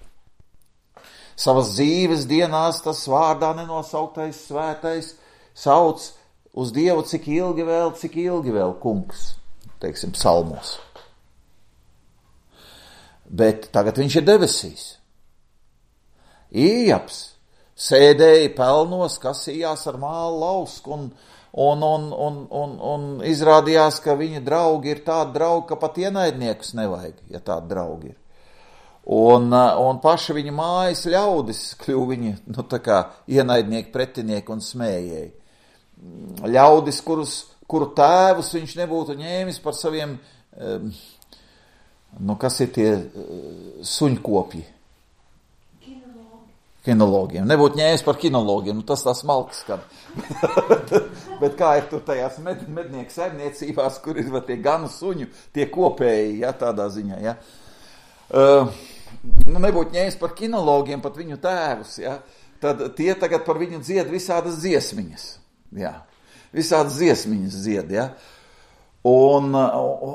Savas dzīves dienās tas vārdā nenosauktais svētais sauc uz Dievu, cik ilgi vēl, cik ilgi vēl, kungs, teiksim, psalmos. Bet tagad viņš ir debesīs. Ījaps sēdēja pelnos, kasījās ar mālu lausku un, un, un, un, un, un izrādījās, ka viņa draugi ir tādi draugi, ka pat ienaidniekus nevajag, ja tādi draugi ir. Un, un paši viņa mājas ļaudis kļuva viņa, nu, tā kā ienaidnieki, pretinieki un smējēji. Ļaudis, kurus, kuru tēvus viņš nebūtu ņēmis par saviem, nu, kas ir tie suņkopji? Kinologi. Kinologiem. Nebūtu ņēmis par kinologiem, nu, tas tās malkas skan. Bet kā ir tur tajās med, mednieku saimniecībās, kur ir tie ganu suņu, tie kopēji, ja, tādā ziņā, ja. Uh, nu, nebūtu ņēmis par kinologiem, pat viņu tēvus, ja, tad tie tagad par viņu dzied visādas dziesmiņas, jā, visādas dziesmiņas dzied, ja, un, un,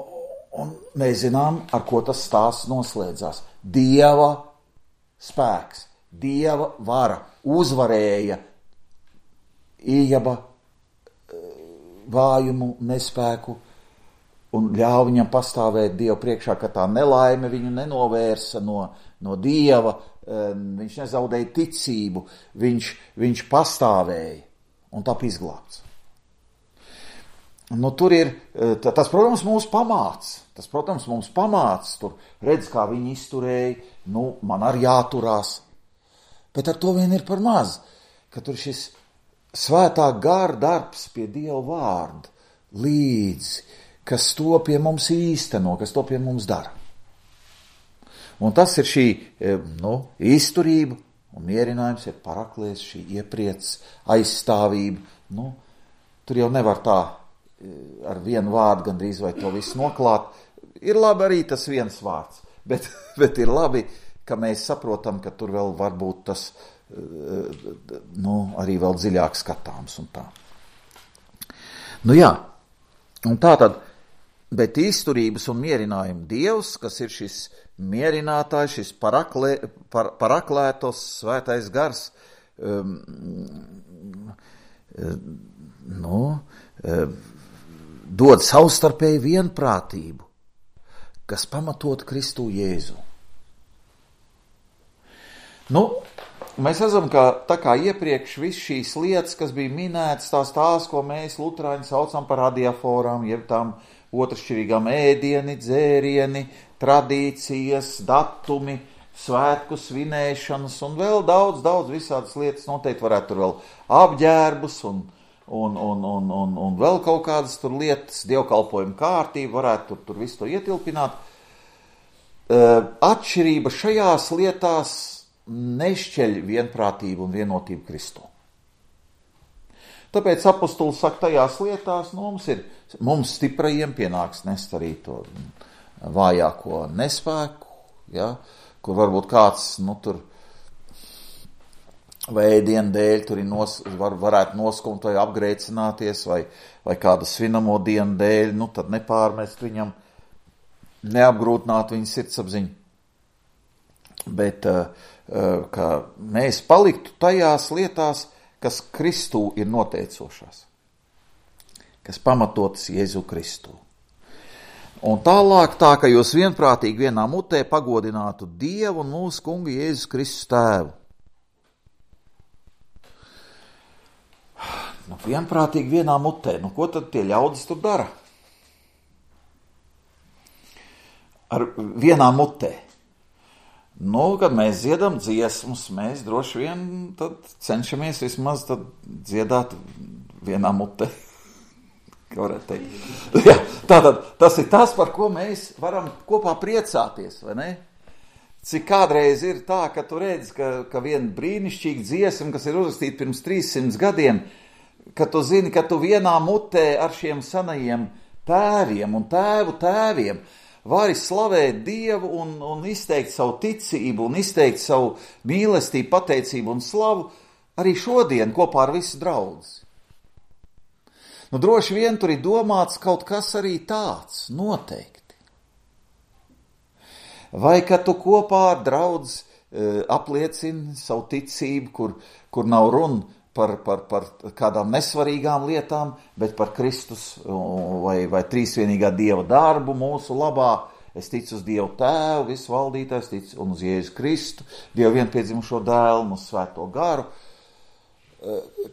un mēs zinām, ar ko tas stāsts noslēdzās. Dieva spēks, Dieva vara uzvarēja Ījaba vājumu, nespēku, un ļauj viņam pastāvēt Dievu priekšā, ka tā nelaime viņu nenovērsa no, no Dieva, viņš nezaudēja ticību, viņš, viņš pastāvēja un tap izglābts. Nu, tur ir, tas, protams, mūs pamāc, tas, protams, mums pamāc, tur redz, kā viņi izturēja, nu, man arī jāturās, bet ar to vien ir par maz, ka tur šis svētā gara darbs pie Dieva vārda līdzi, kas to pie mums īsteno, kas to pie mums dara. Un tas ir šī, nu, izturība un mierinājums, ir paraklēs, šī iepriec, aizstāvība. Nu, tur jau nevar tā ar vienu vārdu gandrīz vai to visu noklāt. Ir labi arī tas viens vārds, bet, bet ir labi, ka mēs saprotam, ka tur vēl var būt tas, nu, arī vēl dziļāk skatāms un tā. Nu jā, un tā tad, bet izturības un mierinājuma Dievs, kas ir šis mierinātājs, šis paraklē, par, paraklētos svētais gars, um, nu, um, dod savstarpēju vienprātību, kas pamatot Kristu Jēzu. Nu, mēs redzam, ka tā kā iepriekš viss šīs lietas, kas bija minētas, tās tās, ko mēs luterāņi saucam par adiaforām, jeb tām otršķirīgām ēdieni, dzērieni, tradīcijas, datumi, svētku svinēšanas un vēl daudz, daudz visādas lietas. Noteikti varētu tur vēl apģērbus un, un, un, un, un, un vēl kaut kādas tur lietas, dievkalpojumu kārtību, varētu tur, tur visu to ietilpināt. Atšķirība šajās lietās nešķeļ vienprātību un vienotību Kristū. Tāpēc apostols saka, tajās lietās nu, mums, ir, mums stiprajiem pienāks nest arī to vājāko nespēku, ja, kur varbūt kāds, nu, tur vai ēdienu dēļ tur nos, var, varētu noskumt vai apgrēcināties, vai, vai kādu svinamo dienu dēļ, nu, tad nepārmest viņam, neapgrūtināt viņa sirdsapziņu, bet ka mēs paliktu tajās lietās, kas Kristū ir noteicošās, kas pamatotas Jēzu Kristū. Un tālāk tā, ka jūs vienprātīgi vienā mutē pagodinātu Dievu un mūsu kungu Jēzus Kristus tēvu. Nu, vienprātīgi vienā mutē, nu ko tad tie ļaudis tur dara? Ar vienā mutē. Nu, kad mēs dziedam dziesmas, mēs droši vien tad cenšamies vismaz tad dziedāt vienā mutē. Kā varētu teikt. Jā, tātad tas ir tas, par ko mēs varam kopā priecāties, vai ne? Cik kādreiz ir tā, ka tu redzi, ka, ka viena brīnišķīga dziesma, kas ir uzrakstīta pirms trīssimts gadiem, ka tu zini, ka tu vienā mutē ar šiem senajiem tēviem un tēvu tēviem vari slavēt Dievu un, un izteikt savu ticību un izteikt savu mīlestību, pateicību un slavu arī šodien kopā ar visu draudzi. Nu, droši vien tur ir domāts kaut kas arī tāds, noteikti. Vai ka tu kopā ar draudzi e, apliecini savu ticību, kur, kur nav runa par, par, par kādām nesvarīgām lietām, bet par Kristus vai, vai trīsvienīgā Dieva darbu mūsu labā. Es ticu uz Dievu Tēvu, visu valdītājs, ticu un uz Jēzu Kristu, Dievu vienpiedzimušo dēlu, uz Svēto garu.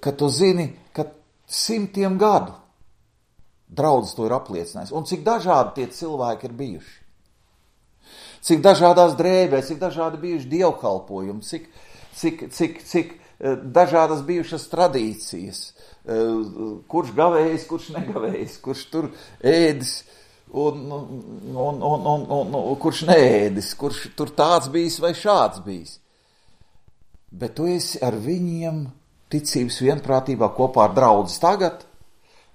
Ka tu zini, ka simtiem gadu draudzes to ir apliecinājis. Un cik dažādi tie cilvēki ir bijuši. Cik dažādās drēbēs, cik dažādi bijuši dievkalpojumi, cik, cik, cik, cik dažādas bijušas tradīcijas, kurš gavējis, kurš negavējis, kurš tur ēdis un, un, un, un, un, un kurš neēdis, kurš tur tāds bijis vai šāds bijis. Bet tu esi ar viņiem ticības vienprātībā kopā ar draudzes tagad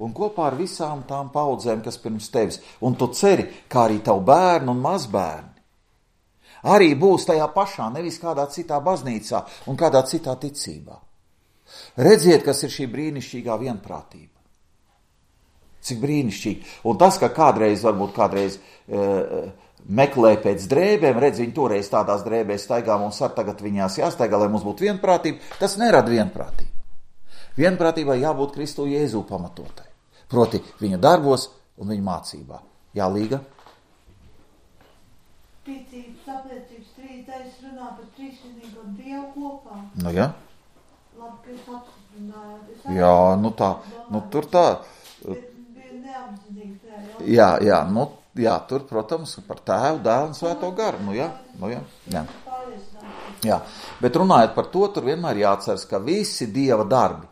un kopā ar visām tām paudzēm, kas pirms tevis. Un tu ceri, kā arī tavu bērnu un mazbērni arī būs tajā pašā, nevis kādā citā baznīcā un kādā citā ticībā. Redziet, kas ir šī brīnišķīgā vienprātība. Cik brīnišķīgi. Un tas, ka kādreiz, varbūt kādreiz e, meklē pēc drēbēm, redz, viņi toreiz tādās drēbēs staigā, mums ar tagad viņās jāstaigā, lai mums būtu vienprātība, tas nerada vienprātību. Vienprātībai jābūt Kristu Jēzu pamatotai. Proti viņa darbos un viņa mācībā. Jā, Līga? Ticības, apliecības, trīs runā par trīsvienīgo Dievu kopā. Nu, jā. Labi, ka es apstiprinājāt. Jā, nu tā, nu tur tā. Bet bija neapzinīgi tā, jā. Jā, jā, nu, jā, tur, protams, par Tēvu, Dēlu un Svēto garu, nu jā, nu jā, jā. Jā, bet runājot par to, tur vienmēr jāatceras, ka visi Dieva darbi,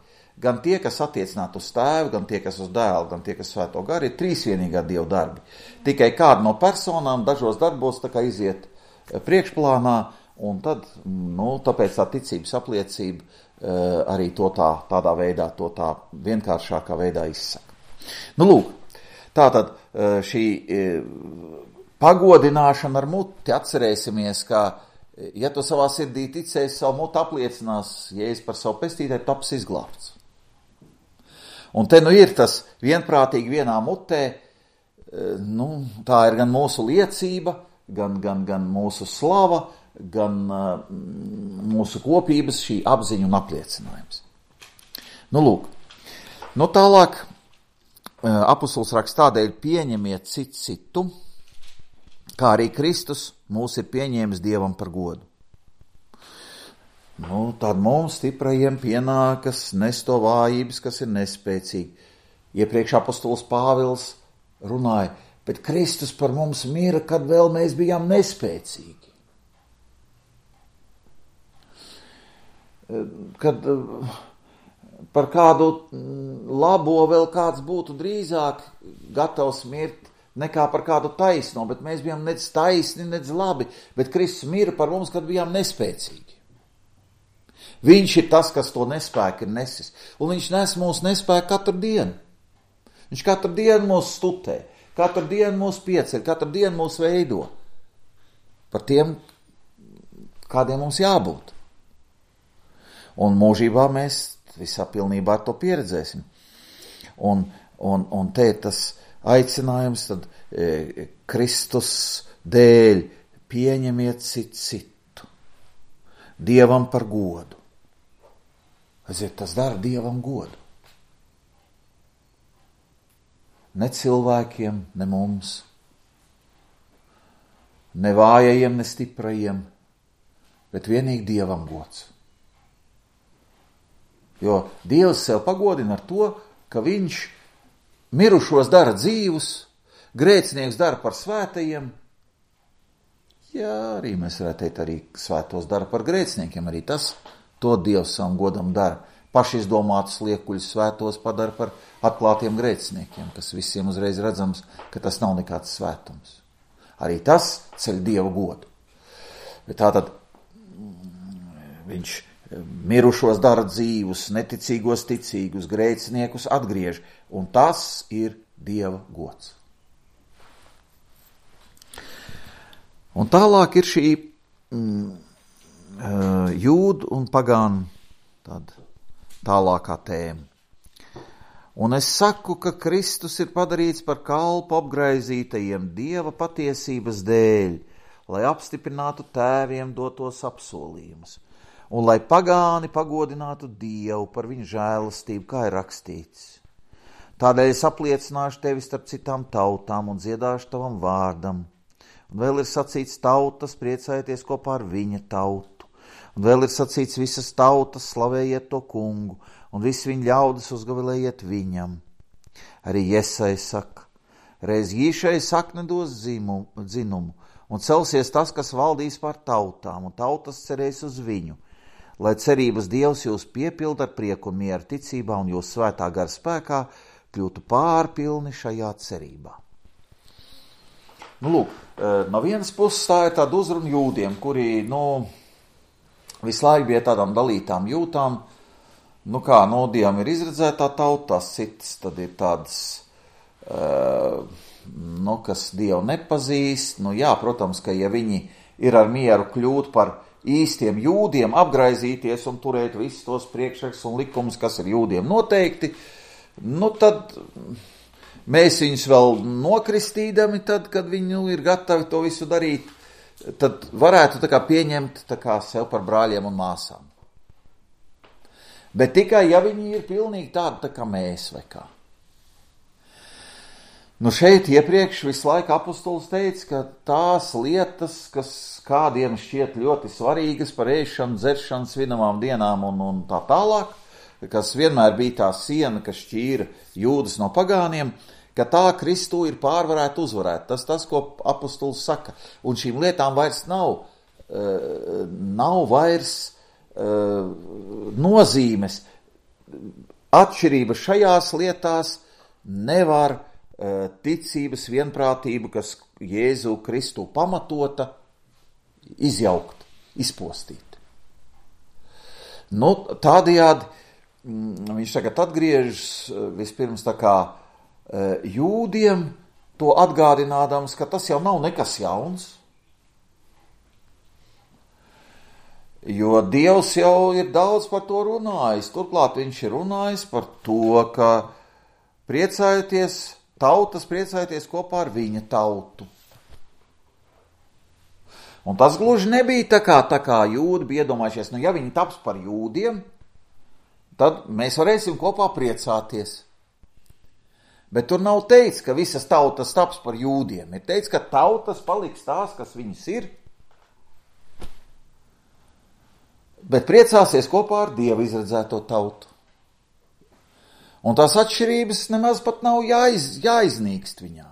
gan tie, kas attiecināt uz Tēvu, gan tie, kas uz Dēlu, gan tie, kas Svēto garu, ir trīsvienīgā Dieva darbi. Tikai kāda no personām dažos darbos tā kā iziet priekšplānā, un tad, nu, tāpēc tā ticības apliecība uh, arī to tā, tādā veidā, to tā vienkāršākā veidā izsaka. Nu, lūk, tātad uh, šī uh, pagodināšana ar muti, atcerēsimies, ka, ja tu savā sirdī ticēsi, savu muti apliecinās, Jēzus par savu pestītāju, taps izglābts. Un te nu ir tas vienprātīgi vienā mutē, nu, tā ir gan mūsu liecība, gan, gan, gan mūsu slava, gan uh, mūsu kopības šī apziņa un apliecinājums. Nu, lūk, nu tālāk uh, apustulis raksta tādēļ pieņemiet citu citu, kā arī Kristus mūs ir pieņēmis Dievam par godu. Nu, tad mums stiprajiem pienākas nest to vājības, kas ir nespēcīgi. Iepriekš apustulis Pāvils runāja, bet Kristus par mums mira, kad vēl mēs bijām nespēcīgi. Kad par kādu labo vēl kāds būtu drīzāk gatavs mirt nekā par kādu taisno, bet mēs bijām nec taisni, nec labi, bet Kristus mira par mums, kad bijām nespēcīgi. Viņš ir tas, kas to nespēku ir nesis, un viņš nes mūsu nespēku katru dienu. Viņš katru dienu mūs stutē, katru dienu mūs pieceļ, katru dienu mūs veido par tiem, kādiem mums jābūt. Un mūžībā mēs visā pilnībā to pieredzēsim. Un, un, un te tas aicinājums tad e, Kristus dēļ pieņemiet citu citu, Dievam par godu. Aiziet, tas dara Dievam godu. Ne cilvēkiem, ne mums, ne vājajiem, ne stiprajiem, bet vienīgi Dievam gods. Jo Dievs sev pagodina ar to, ka viņš mirušos dara dzīvus, grēcinieks dara par svētajiem. Jā, arī mēs varētu teikt, arī svētos dara par grēciniekiem, arī tas to Dievs savam godam dara. Pašizdomātus liekuļus svētos padara par atklātiem grēciniekiem, kas visiem uzreiz redzams, ka tas nav nekāds svētums. Arī tas ceļ Dievu godu. Bet tātad viņš mirušos dara dzīvus, neticīgos ticīgus, grēciniekus atgriež, un tas ir Dieva gods. Un tālāk ir šī mm, jūdu un pagānu tāda tālākā tēma. Un es saku, ka Kristus ir padarīts par kalpu apgraizītajiem Dieva patiesības dēļ, lai apstiprinātu tēviem dotos apsolījumus, un lai pagāni pagodinātu Dievu par viņu žēlastību, kā ir rakstīts. Tādēļ es apliecināšu tevi starp citām tautām un dziedāšu tavam vārdam. Un vēl ir sacīts tautas, priecājieties kopā ar viņa tautu. Un vēl ir sacīts visas tautas, slavējiet to kungu, un visi viņa ļaudis uzgavilējiet viņam. Arī Jesai saka, reiz īšai sakne dos dzimumu, dzinumu, un celsies tas, kas valdīs pār tautām, un tautas cerēs uz viņu, lai cerības Dievs jūs piepilda ar prieku un mieru ticībā, un jūs svētā gara spēkā kļūtu pārpilni šajā cerībā. Nu, lūk, no vienas puses tā ir tāda uzruna jūdiem, kuri, nu, visu laiku bija tādām dalītām jūtām, nu kā, no Dievam ir izredzētā tauta, tās citas tad ir tādas, uh, nu, kas Dievu nepazīst, nu jā, protams, ka ja viņi ir ar mieru kļūt par īstiem jūdiem, apgraizīties un turēt visus tos priekšraks un likumus, kas ir jūdiem noteikti, nu tad mēs viņus vēl nokristīdami, tad, kad viņi nu, ir gatavi to visu darīt, tad varētu tā kā pieņemt tā kā sev par brāļiem un māsām. Bet tikai, ja viņi ir pilnīgi tādi tā kā mēs vai kā. Nu šeit iepriekš visu laiku apostols teica, ka tās lietas, kas kādiem šķiet ļoti svarīgas par ēšanu, dzeršanu, svinamām dienām un, un tā tālāk, kas vienmēr bija tā siena, kas šķīra jūdas no pagāniem, ka tā Kristū ir pārvarēta uzvarēta. Tas tas, ko apostols saka. Un šīm lietām vairs nav, uh, nav vairs uh, nozīmes. Atšķirība šajās lietās nevar uh, ticības vienprātību, kas Jēzu Kristu pamatota, izjaukt, izpostīt. Nu, tādējādi mm, viņš tagad atgriežas vispirms tā kā jūdiem, to atgādinādams, ka tas jau nav nekas jauns, jo Dievs jau ir daudz par to runājis. Turklāt viņš ir runājis par to, ka priecājieties, tautas priecājieties kopā ar viņa tautu. Un tas gluži nebija tā kā, tā kā jūdi bija iedomājušies, nu ja viņi taps par jūdiem, tad mēs varēsim kopā priecāties. Bet tur nav teikts, ka visas tautas taps par jūdiem. Ir teikts, ka tautas paliks tās, kas viņas ir, bet priecāsies kopā ar Dievu izredzēto tautu. Un tās atšķirības nemaz pat nav jāiz, jāiznīkst viņām.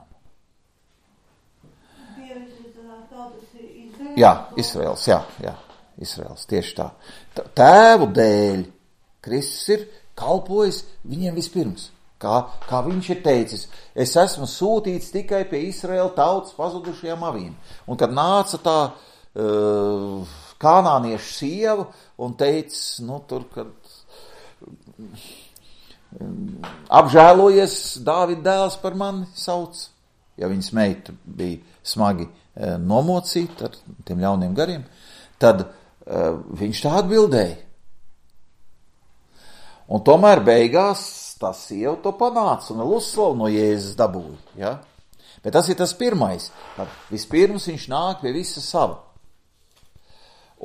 Jā, Izraels, jā, jā, Izraels, tieši tā. Tēvu dēļ Kristus ir kalpojis viņiem vispirms. Kā, kā viņš ir teicis, es esmu sūtīts tikai pie Izraēla tautas pazudušajām avīm. Un kad nāca tā uh, kanāniešu sieva un teica, nu tur, kad um, apžēlojies, Dāvida dēls par mani sauc, ja viņas meita bija smagi uh, nomocīta ar tiem ļauniem gariem, tad uh, viņš tā atbildēja. Un tomēr beigās tā sieva to panāca un vēl uzslavu no Jēzus dabūja. Ja? Bet tas ir tas pirmais. Tad vispirms viņš nāk pie visa sava.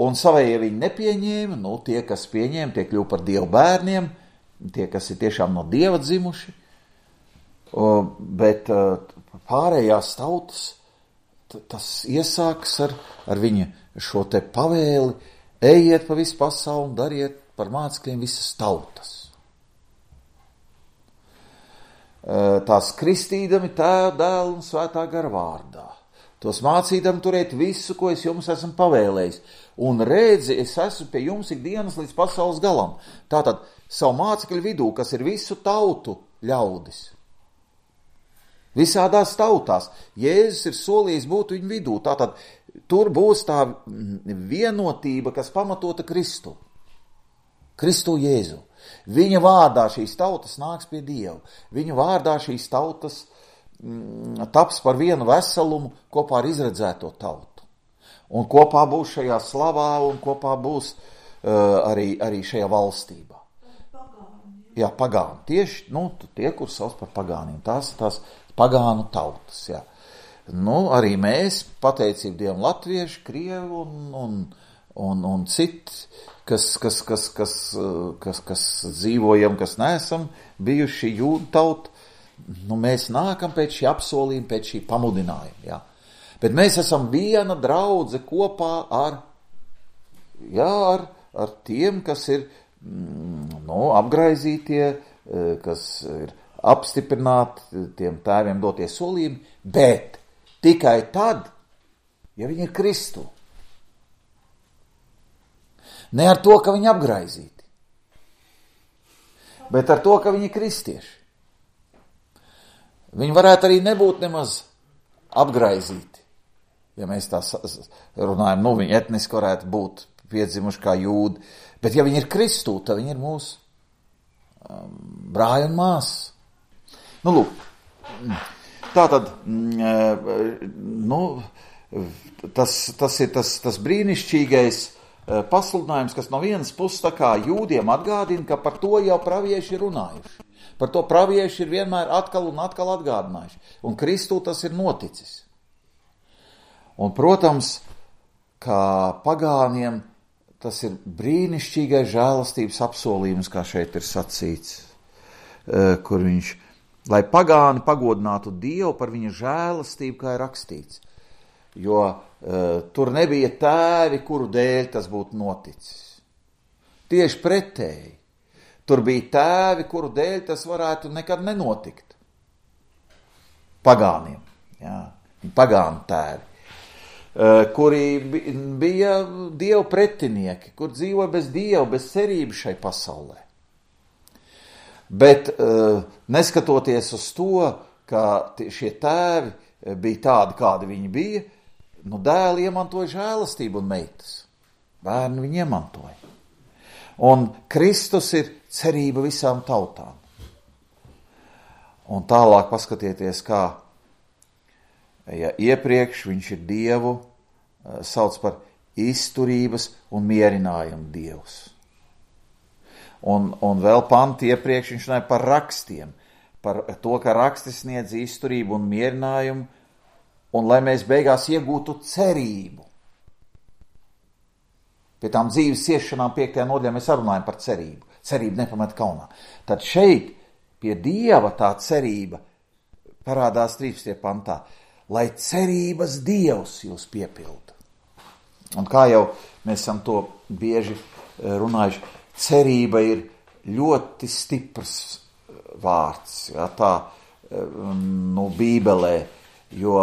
Un savējie viņi nepieņēma, nu tie, kas pieņēma, tie kļuva par Dievu bērniem, tie, kas ir tiešām no Dieva dzimuši. Bet pārējās tautas, tas iesāks ar, ar viņa šo te pavēli, ejiet pa visu pasauli un dariet par mācekļiem visas tautas. Tās kristīdami Tēva, Dēla un Svētā gara vārdā. Tos mācīdami turēt visu, ko es jums esmu pavēlējis. Un redzi, es esmu pie jums ikdienas līdz pasaules galam. Tātad savu mācekļu vidū, kas ir visu tautu ļaudis. Visādās tautās. Jēzus ir solījis būt viņu vidū. Tātad tur būs tā vienotība, kas pamatota Kristu. Kristu Jēzu. Viņa vārdā šīs tautas nāks pie Dieva. Viņa vārdā šīs tautas mm, taps par vienu veselumu kopā ar izredzēto tautu. Un kopā būs šajā slavā un kopā būs uh, arī, arī šajā valstībā. Pagāni. Jā, pagāni. Tieši nu, tie, kur sauc par pagāniem. Tās tās pagānu tautas. Jā. Nu, arī mēs, pateicību Dievam, latvieši, krievi un, un, un, un citi, Kas, kas, kas, kas, kas, kas dzīvojam, kas neesam bijuši jūdu tauta, nu mēs nākam pēc šī apsolījuma, pēc šī pamudinājuma, jā. Bet mēs esam viena draudze kopā ar, jā, ar, ar tiem, kas ir, nu, apgraizītie, kas ir apstiprināti tiem tēviem dotie solījumi, bet tikai tad, ja viņi ir Kristu. Ne ar to, ka viņi apgraizīti, bet ar to, ka viņi kristieši. Viņi varētu arī nebūt nemaz apgraizīti, ja mēs tā runājam, nu viņi etniski varētu būt piedzimuši kā jūdi, bet ja viņi ir Kristū, tad viņi ir mūsu um, brāļi un māsas. Nu, lūk, tā tad, nu, tas, tas ir tas, tas brīnišķīgais pasludinājums, kas no vienas puses tā kā jūdiem atgādina, ka par to jau pravieši ir runājuši. Par to pravieši ir vienmēr atkal un atkal atgādinājuši. Un Kristū tas ir noticis. Un, protams, kā pagāniem tas ir brīnišķīgais žēlastības apsolījums, kā šeit ir sacīts, kur viņš, lai pagāni pagodinātu Dievu par viņa žēlastību, kā ir rakstīts. Jo uh, tur nebija tēvi, kuru dēļ tas būtu noticis. Tieši pretēji. Tur bija tēvi, kuru dēļ tas varētu nekad nenotikt. Pagāniem, jā, pagānu tēvi, uh, kuri bija Dievu pretinieki, kur dzīvoja bez Dieva, bez cerības šai pasaulē. Bet uh, neskatoties uz to, ka šie tēvi bija tādi, kādi viņi bija, nu, dēli iemantoja žēlastību un meitas. Bērni viņi iemantoja. Un Kristus ir cerība visām tautām. Un tālāk paskatieties, kā, ja iepriekš viņš ir Dievu, sauc par izturības un mierinājumu Dievs. Un, un vēl panti iepriekš viņš runāja par rakstiem, par to, ka raksti sniedz izturību un mierinājumu, un lai mēs beigās iegūtu cerību. Pie tām dzīves ciešanām piektajā nodaļā mēs runājam par cerību. Cerība nepamet kaunā. Tad šeit pie Dieva tā cerība parādās trīspadsmitajā pantā, lai cerības Dievs jūs piepilda. Un kā jau mēs esam to bieži runājuši, cerība ir ļoti stiprs vārds, ja, tā, nu, Bībelē, jo,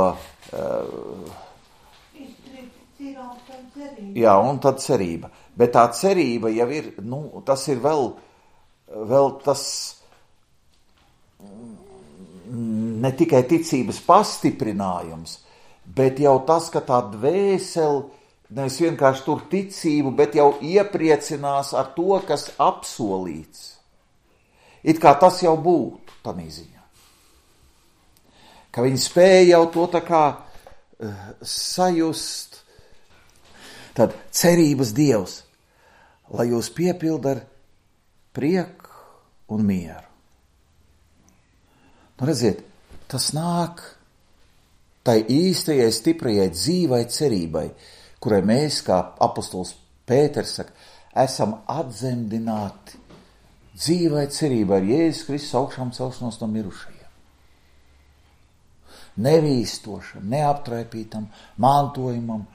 jā, un tad cerība. Bet tā cerība jau ir, nu, tas ir vēl, vēl tas ne tikai ticības pastiprinājums, bet jau tas, ka tā dvēsele nevis vienkārši tur ticību, bet jau iepriecinās ar to, kas apsolīts. It kā tas jau būtu tādā ziņā. Ka viņi spēja jau to tā kā uh, sajust. Tad cerības Dievs, lai jūs piepilda ar prieku un mieru. Nu, redziet, tas nāk tai īstajai, stiprajai, dzīvai cerībai, kurai mēs, kā apostols Pēters saka, esam atzemdināti dzīvai cerībai ar Jēzus Kristus augšām celšanos no mirušajiem. Nevīstošam, neaptraipītam mantojumam,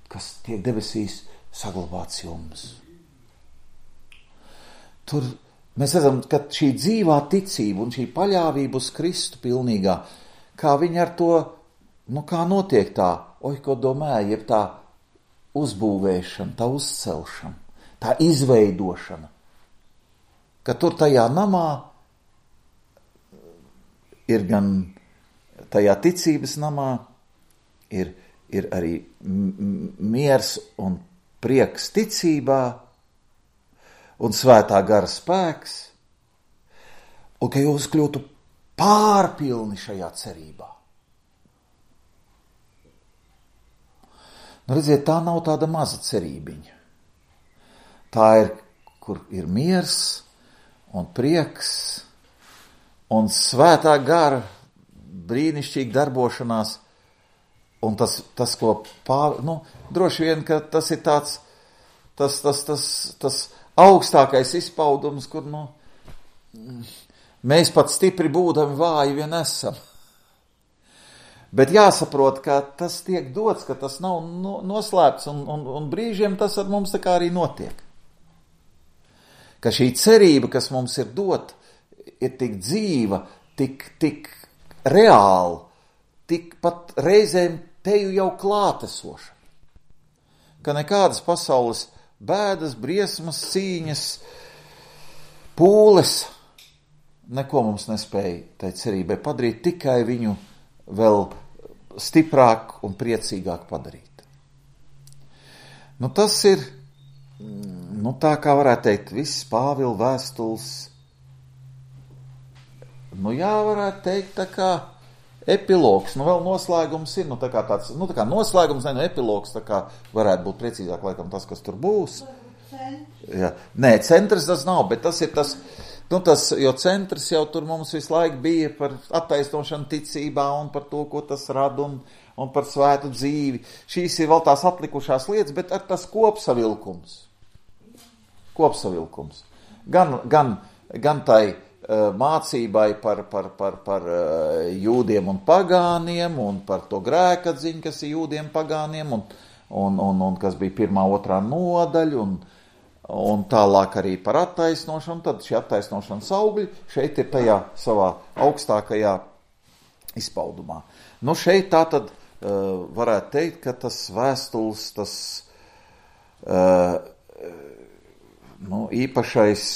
kas tiek debesīs saglabāts jums. Tur mēs redzam, ka šī dzīvā ticība un šī paļāvība uz Kristu pilnīgā, kā viņa ar to, nu kā notiek tā, oi, ko domāja, jeb tā uzbūvēšana, tā uzcelšana, tā izveidošana, ka tur tajā namā ir gan tajā ticības namā, ir, ir arī miers un prieks ticībā, un svētā gara spēks, un ka jūs kļūtu pārpilni šajā cerībā. Nu, redziet, tā nav tāda maza cerībiņa. Tā ir, kur ir miers un prieks un svētā gara brīnišķīga darbošanās, un tas, tas ko pār, nu, droši vien, ka tas ir tāds, tas, tas, tas, tas augstākais izpaudums, kur, nu, mēs pat stipri būdami vāji vien esam. Bet jāsaprot, ka tas tiek dots, ka tas nav noslēpts, un, un, un brīžiem tas ar mums tā kā arī notiek. Ka šī cerība, kas mums ir dot, ir tik dzīva, tik, tik reāla, tik pat reizēm teju jau klātesoša. Ka nekādas pasaules bēdas, briesmas, cīņas, pūles, neko mums nespēja tai cerībai padarīt, tikai viņu vēl stiprāk un priecīgāk padarīt. Nu, tas ir, nu, tā kā varētu teikt, viss Pāvila vēstules, nu, jā, varētu teikt, tā kā epilogs, nu, vēl noslēgums ir, nu, tā kā tāds, nu, tā kā noslēgums, ne, nu, epilogs, tā kā varētu būt precīzāk, laikam, tas, kas tur būs. Jā. Nē, centrs tas nav, bet tas ir tas, nu, tas, jo centrs jau tur mums visu laiku bija par attaisnošanu ticībā un par to, ko tas rada un, un par svētu dzīvi. Šīs ir vēl tās atlikušās lietas, bet ar tas kopsavilkums. Kopsavilkums. Gan, gan, gan tai uh, mācībai par, par, par, par uh, jūdiem un pagāniem un par to grēkatziņu, kas ir jūdiem pagāniem un, un, un, un kas bija pirmā, otrā nodaļa un un tālāk arī par attaisnošanu, tad šī attaisnošanas augļi šeit ir tajā savā augstākajā izpaudumā. Nu, šeit tā tad uh, varētu teikt, ka tas vēstules, tas uh, nu, īpašais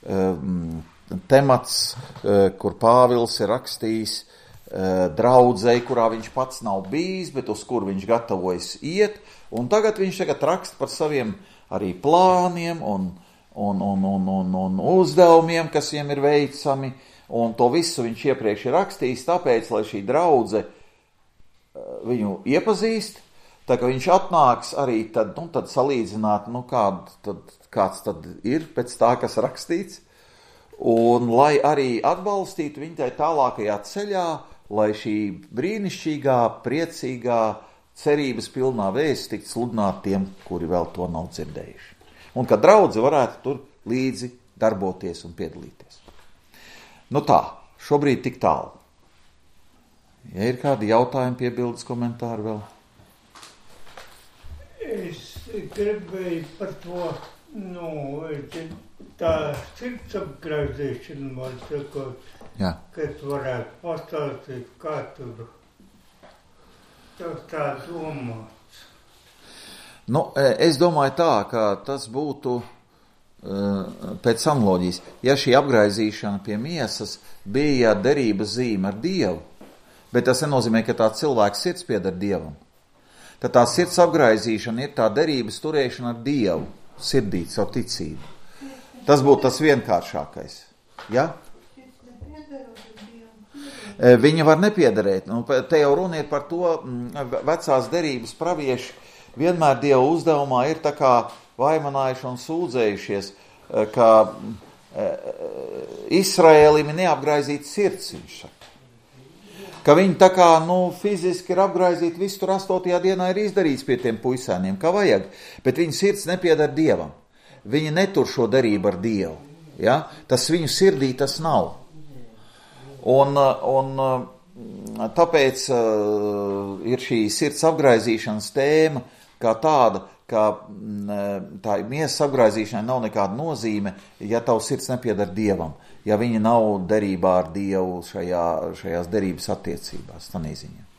um, temats, uh, kur Pāvils ir rakstījis uh, draudzei, kurā viņš pats nav bijis, bet uz kur viņš gatavojas iet, un tagad viņš tagad raksta par saviem arī plāniem un, un, un, un, un, un uzdevumiem, kas viņam ir veicami, un to visu viņš iepriekš ir rakstījis, tāpēc, lai šī draudze viņu iepazīst, tā ka viņš atnāks arī tad, nu, tad salīdzināt, nu, kād, tad, kāds tad ir pēc tā, kas rakstīts, un lai arī atbalstītu viņu tai tālākajā ceļā, lai šī brīnišķīgā, priecīgā, cerības pilnā vēsts tikt sludināt tiem, kuri vēl to nav dzirdējuši. Un ka draudze varētu tur līdzi darboties un piedalīties. Nu tā, šobrīd tik tālu. Ja ir kādi jautājumi, piebildes, komentāri vēl? Es gribēju par to, nu, tā sirds apgrauzēšana, man sakot, Jā. Kad varētu pastāstīt, kā tur tas tā domāts. Nu, es domāju tā, ka tas būtu pēc analoģijas. Ja šī apgraizīšana pie miesas bija derības zīme ar Dievu, bet tas nenozīmē, ka tā cilvēka sirds pieder Dievam, tad tā sirds apgraizīšana ir tā derības turēšana ar Dievu, sirdī, savu ticību. Tas būtu tas vienkāršākais. Ja? Viņa var nepiederēt. Nu, te jau runa ir par to, vecās derības pravieši vienmēr Dieva uzdevumā ir tā kā vaimanājuši un sūdzējušies, ka Izraēlim ir neapgraizīta sirds, viņš saka. Ka viņi tā kā, nu, fiziski ir apgraizīti, visu tur astotajā dienā ir izdarīts pie tiem puisēniem, kā vajag, bet viņa sirds nepiedar Dievam. Viņi netur šo derību ar Dievu. Ja? Tas viņu sirdī tas nav. Un, un tāpēc uh, ir šī sirds apgraizīšanas tēma kā tāda, ka tā miesas apgraizīšanai nav nekāda nozīme, ja tavs sirds nepiedar Dievam, ja viņa nav derībā ar Dievu šajā, šajās derības attiecībās, tā neziņā.